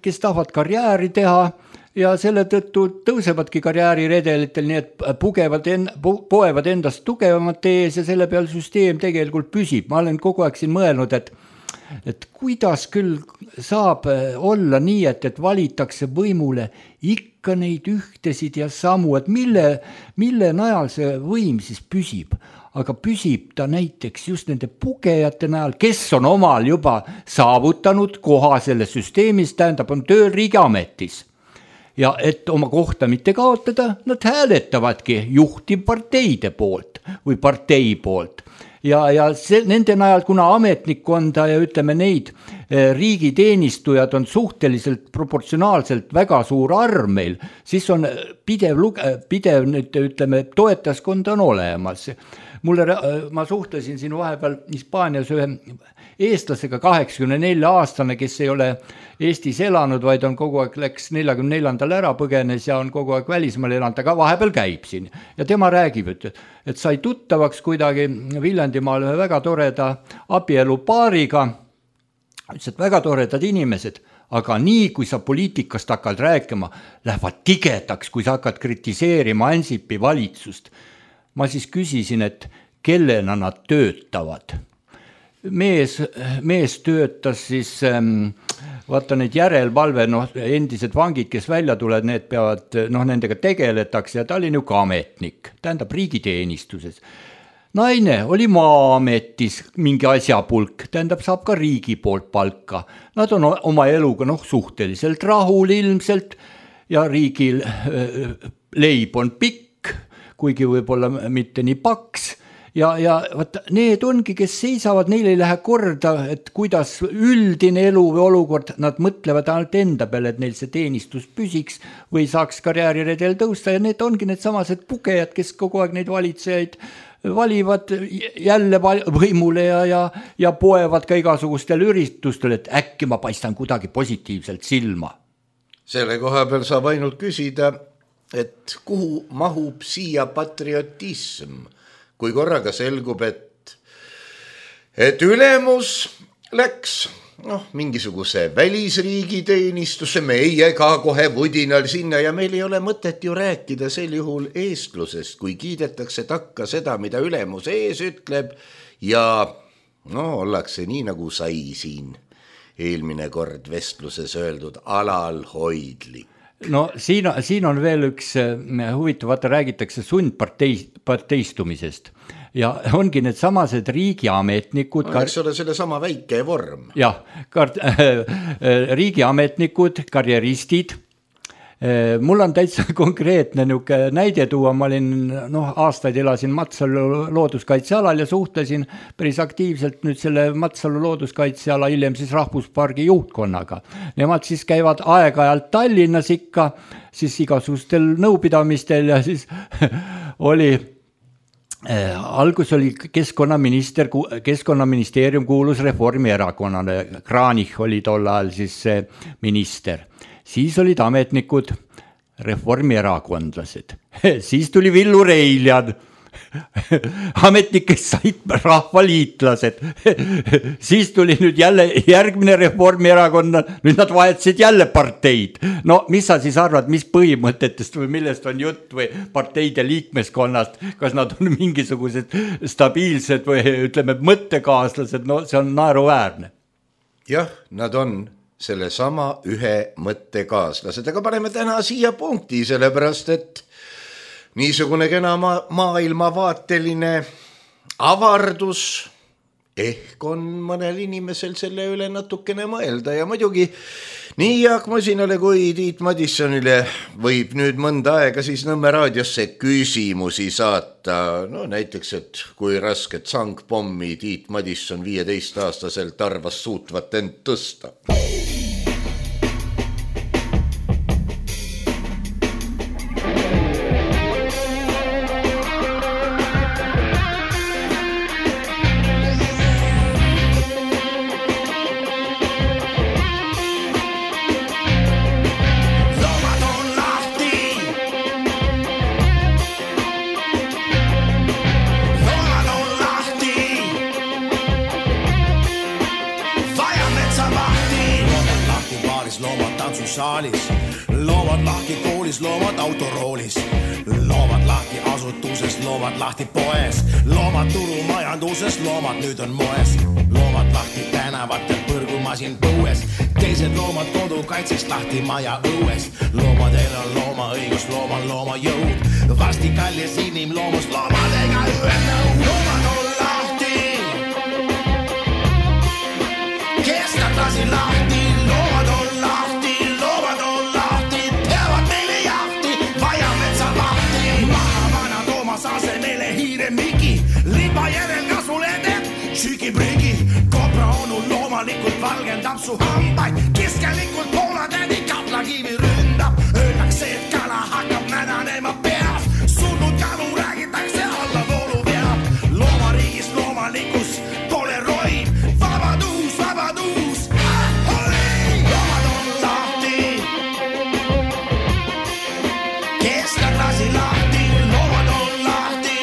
kes tahavad karjääri teha, ja selle tõttu tõusevadki karjääriredelitel, nii et poevad endast tugevamate ees ja selle peal süsteem tegelikult püsib. Ma olen kogu aeg siin mõelnud, et kuidas küll saab olla nii, et valitakse võimule ikka neid ühtesid ja samu, et mille najal see võim siis püsib. Aga püsib ta näiteks just nende pugejate najal, kes on omal juba saavutanud koha selles süsteemis, tähendab on tööl riigiametis. Ja et oma kohta mitte kaotada, nad hääletavadki juhtivparteide poolt või partei poolt. Ja nende najal, kuna ametnikkonda ja ütleme neid riigiteenistujad on suhteliselt proportsionaalselt väga suur arv meil, siis on pidev nüüd, ütleme, toetajaskond on olemas. Ma suhtlesin siin vahepeal Hispaanias ühe eestlasega 84-aastane, kes ei ole Eestis elanud, vaid on kogu aeg läks 44-ndal ära põgenes ja on kogu aeg välismaal elanud, aga vahepeal käib siin. Ja tema räägib, et sai tuttavaks kuidagi Viljandimaal ühe väga toreda abielupaariga, ütles, et väga toredad inimesed, aga nii, kui sa poliitikast hakkad rääkima, lähevad tigedaks, kui sa hakkad kritiseerima Ansipi valitsust. Ma siis küsisin, et kellena nad töötavad. Mees töötas siis, vaata neid järelvalve, endised vangid, kes välja tulevad, need peavad, nendega tegeletakse ja ta oli ka ametnik, tähendab riigiteenistuses. Naine oli Maa-ametis mingi asjapulk, tähendab saab ka riigi poolt palka. Nad on oma eluga suhteliselt rahul ilmselt ja riigil leib on pikk, kuigi võib-olla mitte nii paks ja vaata, need ongi, kes seisavad, neil ei lähe korda, et kuidas üldine elu või olukord, nad mõtlevad ainult enda peale, et neil see teenistus püsiks või saaks karjääriredel tõusta ja need ongi need samased pugejad, kes kogu aeg neid valitsejaid valivad jälle võimule ja poevad ka igasugustel üritustel, et äkki ma paistan kuidagi positiivselt silma. Selle koha peal saab ainult küsida, et kuhu mahub siia patriotism, kui korraga selgub, et ülemus läks mingisuguse välisriigi teenistusse, meie ka kohe vudinal sinna ja meil ei ole mõtet ju rääkida sel juhul eestlusest, kui kiidetakse takka seda, mida ülemus ees ütleb ja ollakse nii nagu sai siin eelmine kord vestluses öeldud alalhoidlik. No siin on veel üks huvitav, vaata räägitakse sundparteistumisest ja ongi need samased riigiametnikud. Eks ole selle sama väike vorm. Jah, riigiametnikud, karjeristid. Mul on täitsa konkreetne näide tuua, ma olin aastaid elasin Matsalu looduskaitsealal ja suhtlesin päris aktiivselt nüüd selle Matsalu looduskaitseala hiljem siis rahvuspargi juhtkonnaga. Nemad siis käivad aeg-ajalt Tallinnas ikka, siis igasugustel nõupidamistel ja siis oli algus oli keskkonnaministeerium kuulus Reformierakonnale, Kranich oli tol ajal siis minister. Siis olid ametnikud reformierakondlased. Siis tuli Villu Reiljan. Ametnikest said rahvaliitlased. Siis tuli nüüd jälle järgmine Reformierakonna, nüüd nad vahetasid jälle parteid. No mis sa siis arvad, mis põhimõtetest või millest on jutt või parteide liikmeskonnast, kas nad on mingisugused stabiilsed või ütleme mõttekaaslased, see on naeruväärne. Jah, nad on selle sama ühe mõttekaaslased, aga paneme täna siia punkti, sellepärast, et niisugune kena maailmavaateline avardus ehk on mõnel inimesel selle üle natukene mõelda ja muidugi nii Jaak Masinale kui Tiit Madissonile võib nüüd mõnda aega siis Nõmme raadiosse küsimusi saata. Näiteks, et kui rasket sangpommi Tiit Madisson 15-aastaselt arvas suutvat end tõsta. tantsusaalis, loomad lahti koolis, loomad autoroolis, loomad lahti asutuses, loomad lahti poes, loomad turumajanduses, loomad nüüd on moes, loomad lahti tänavatel, põrgumasin põues, teised loomad kodukaitsest lahti maja õues, loomadel on loomaõigus, loomal looma jõud, varsti kallis inimloomus loomadega ühendanud, loomad on lahti, kestad lasi lahti, loomad on lahti, peavad meile jahti, vaja metsa lahti, maha vana Toomas asemele hiire Miki, liba järel kasvulede, tšüki-prügi, kobra onu loomalikult valgendab su hambaid, kiskelikult poolatädi kaplakivi ründab, öeldakse, et kala hakkab nänanema peas, surnud kalu räägitakse alla voolu peab, loomariigis loomalikkus pole roim, vabadus, vabadus, loomad on lahti, keskad lasi lahti, loomad on lahti,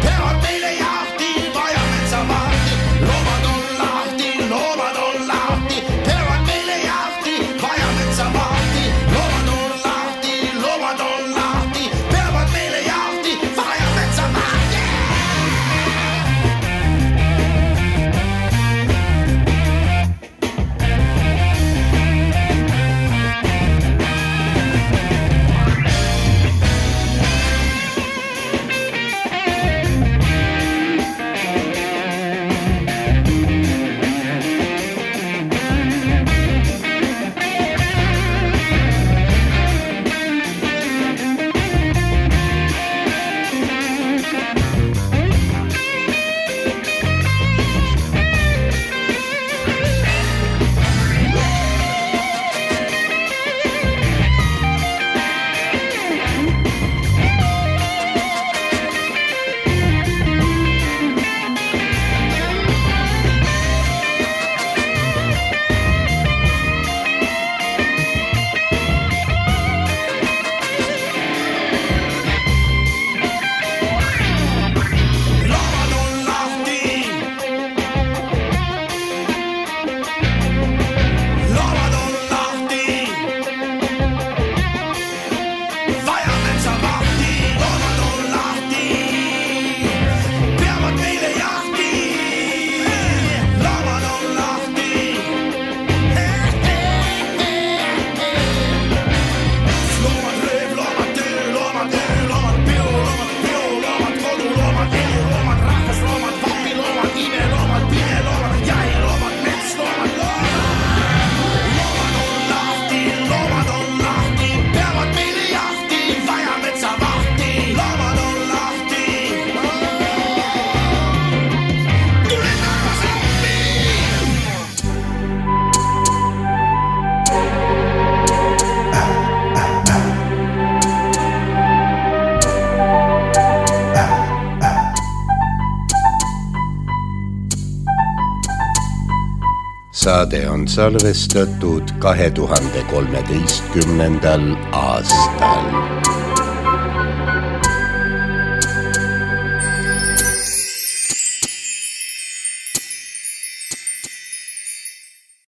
peavad meile jahti, vaja metsa vahti, loomad on lahti, peavad meile jahti, vaja metsa vahti, loomad on lahti, peavad meile jahti, vaja metsa vahti. Saade on salvestatud 2013. aastal.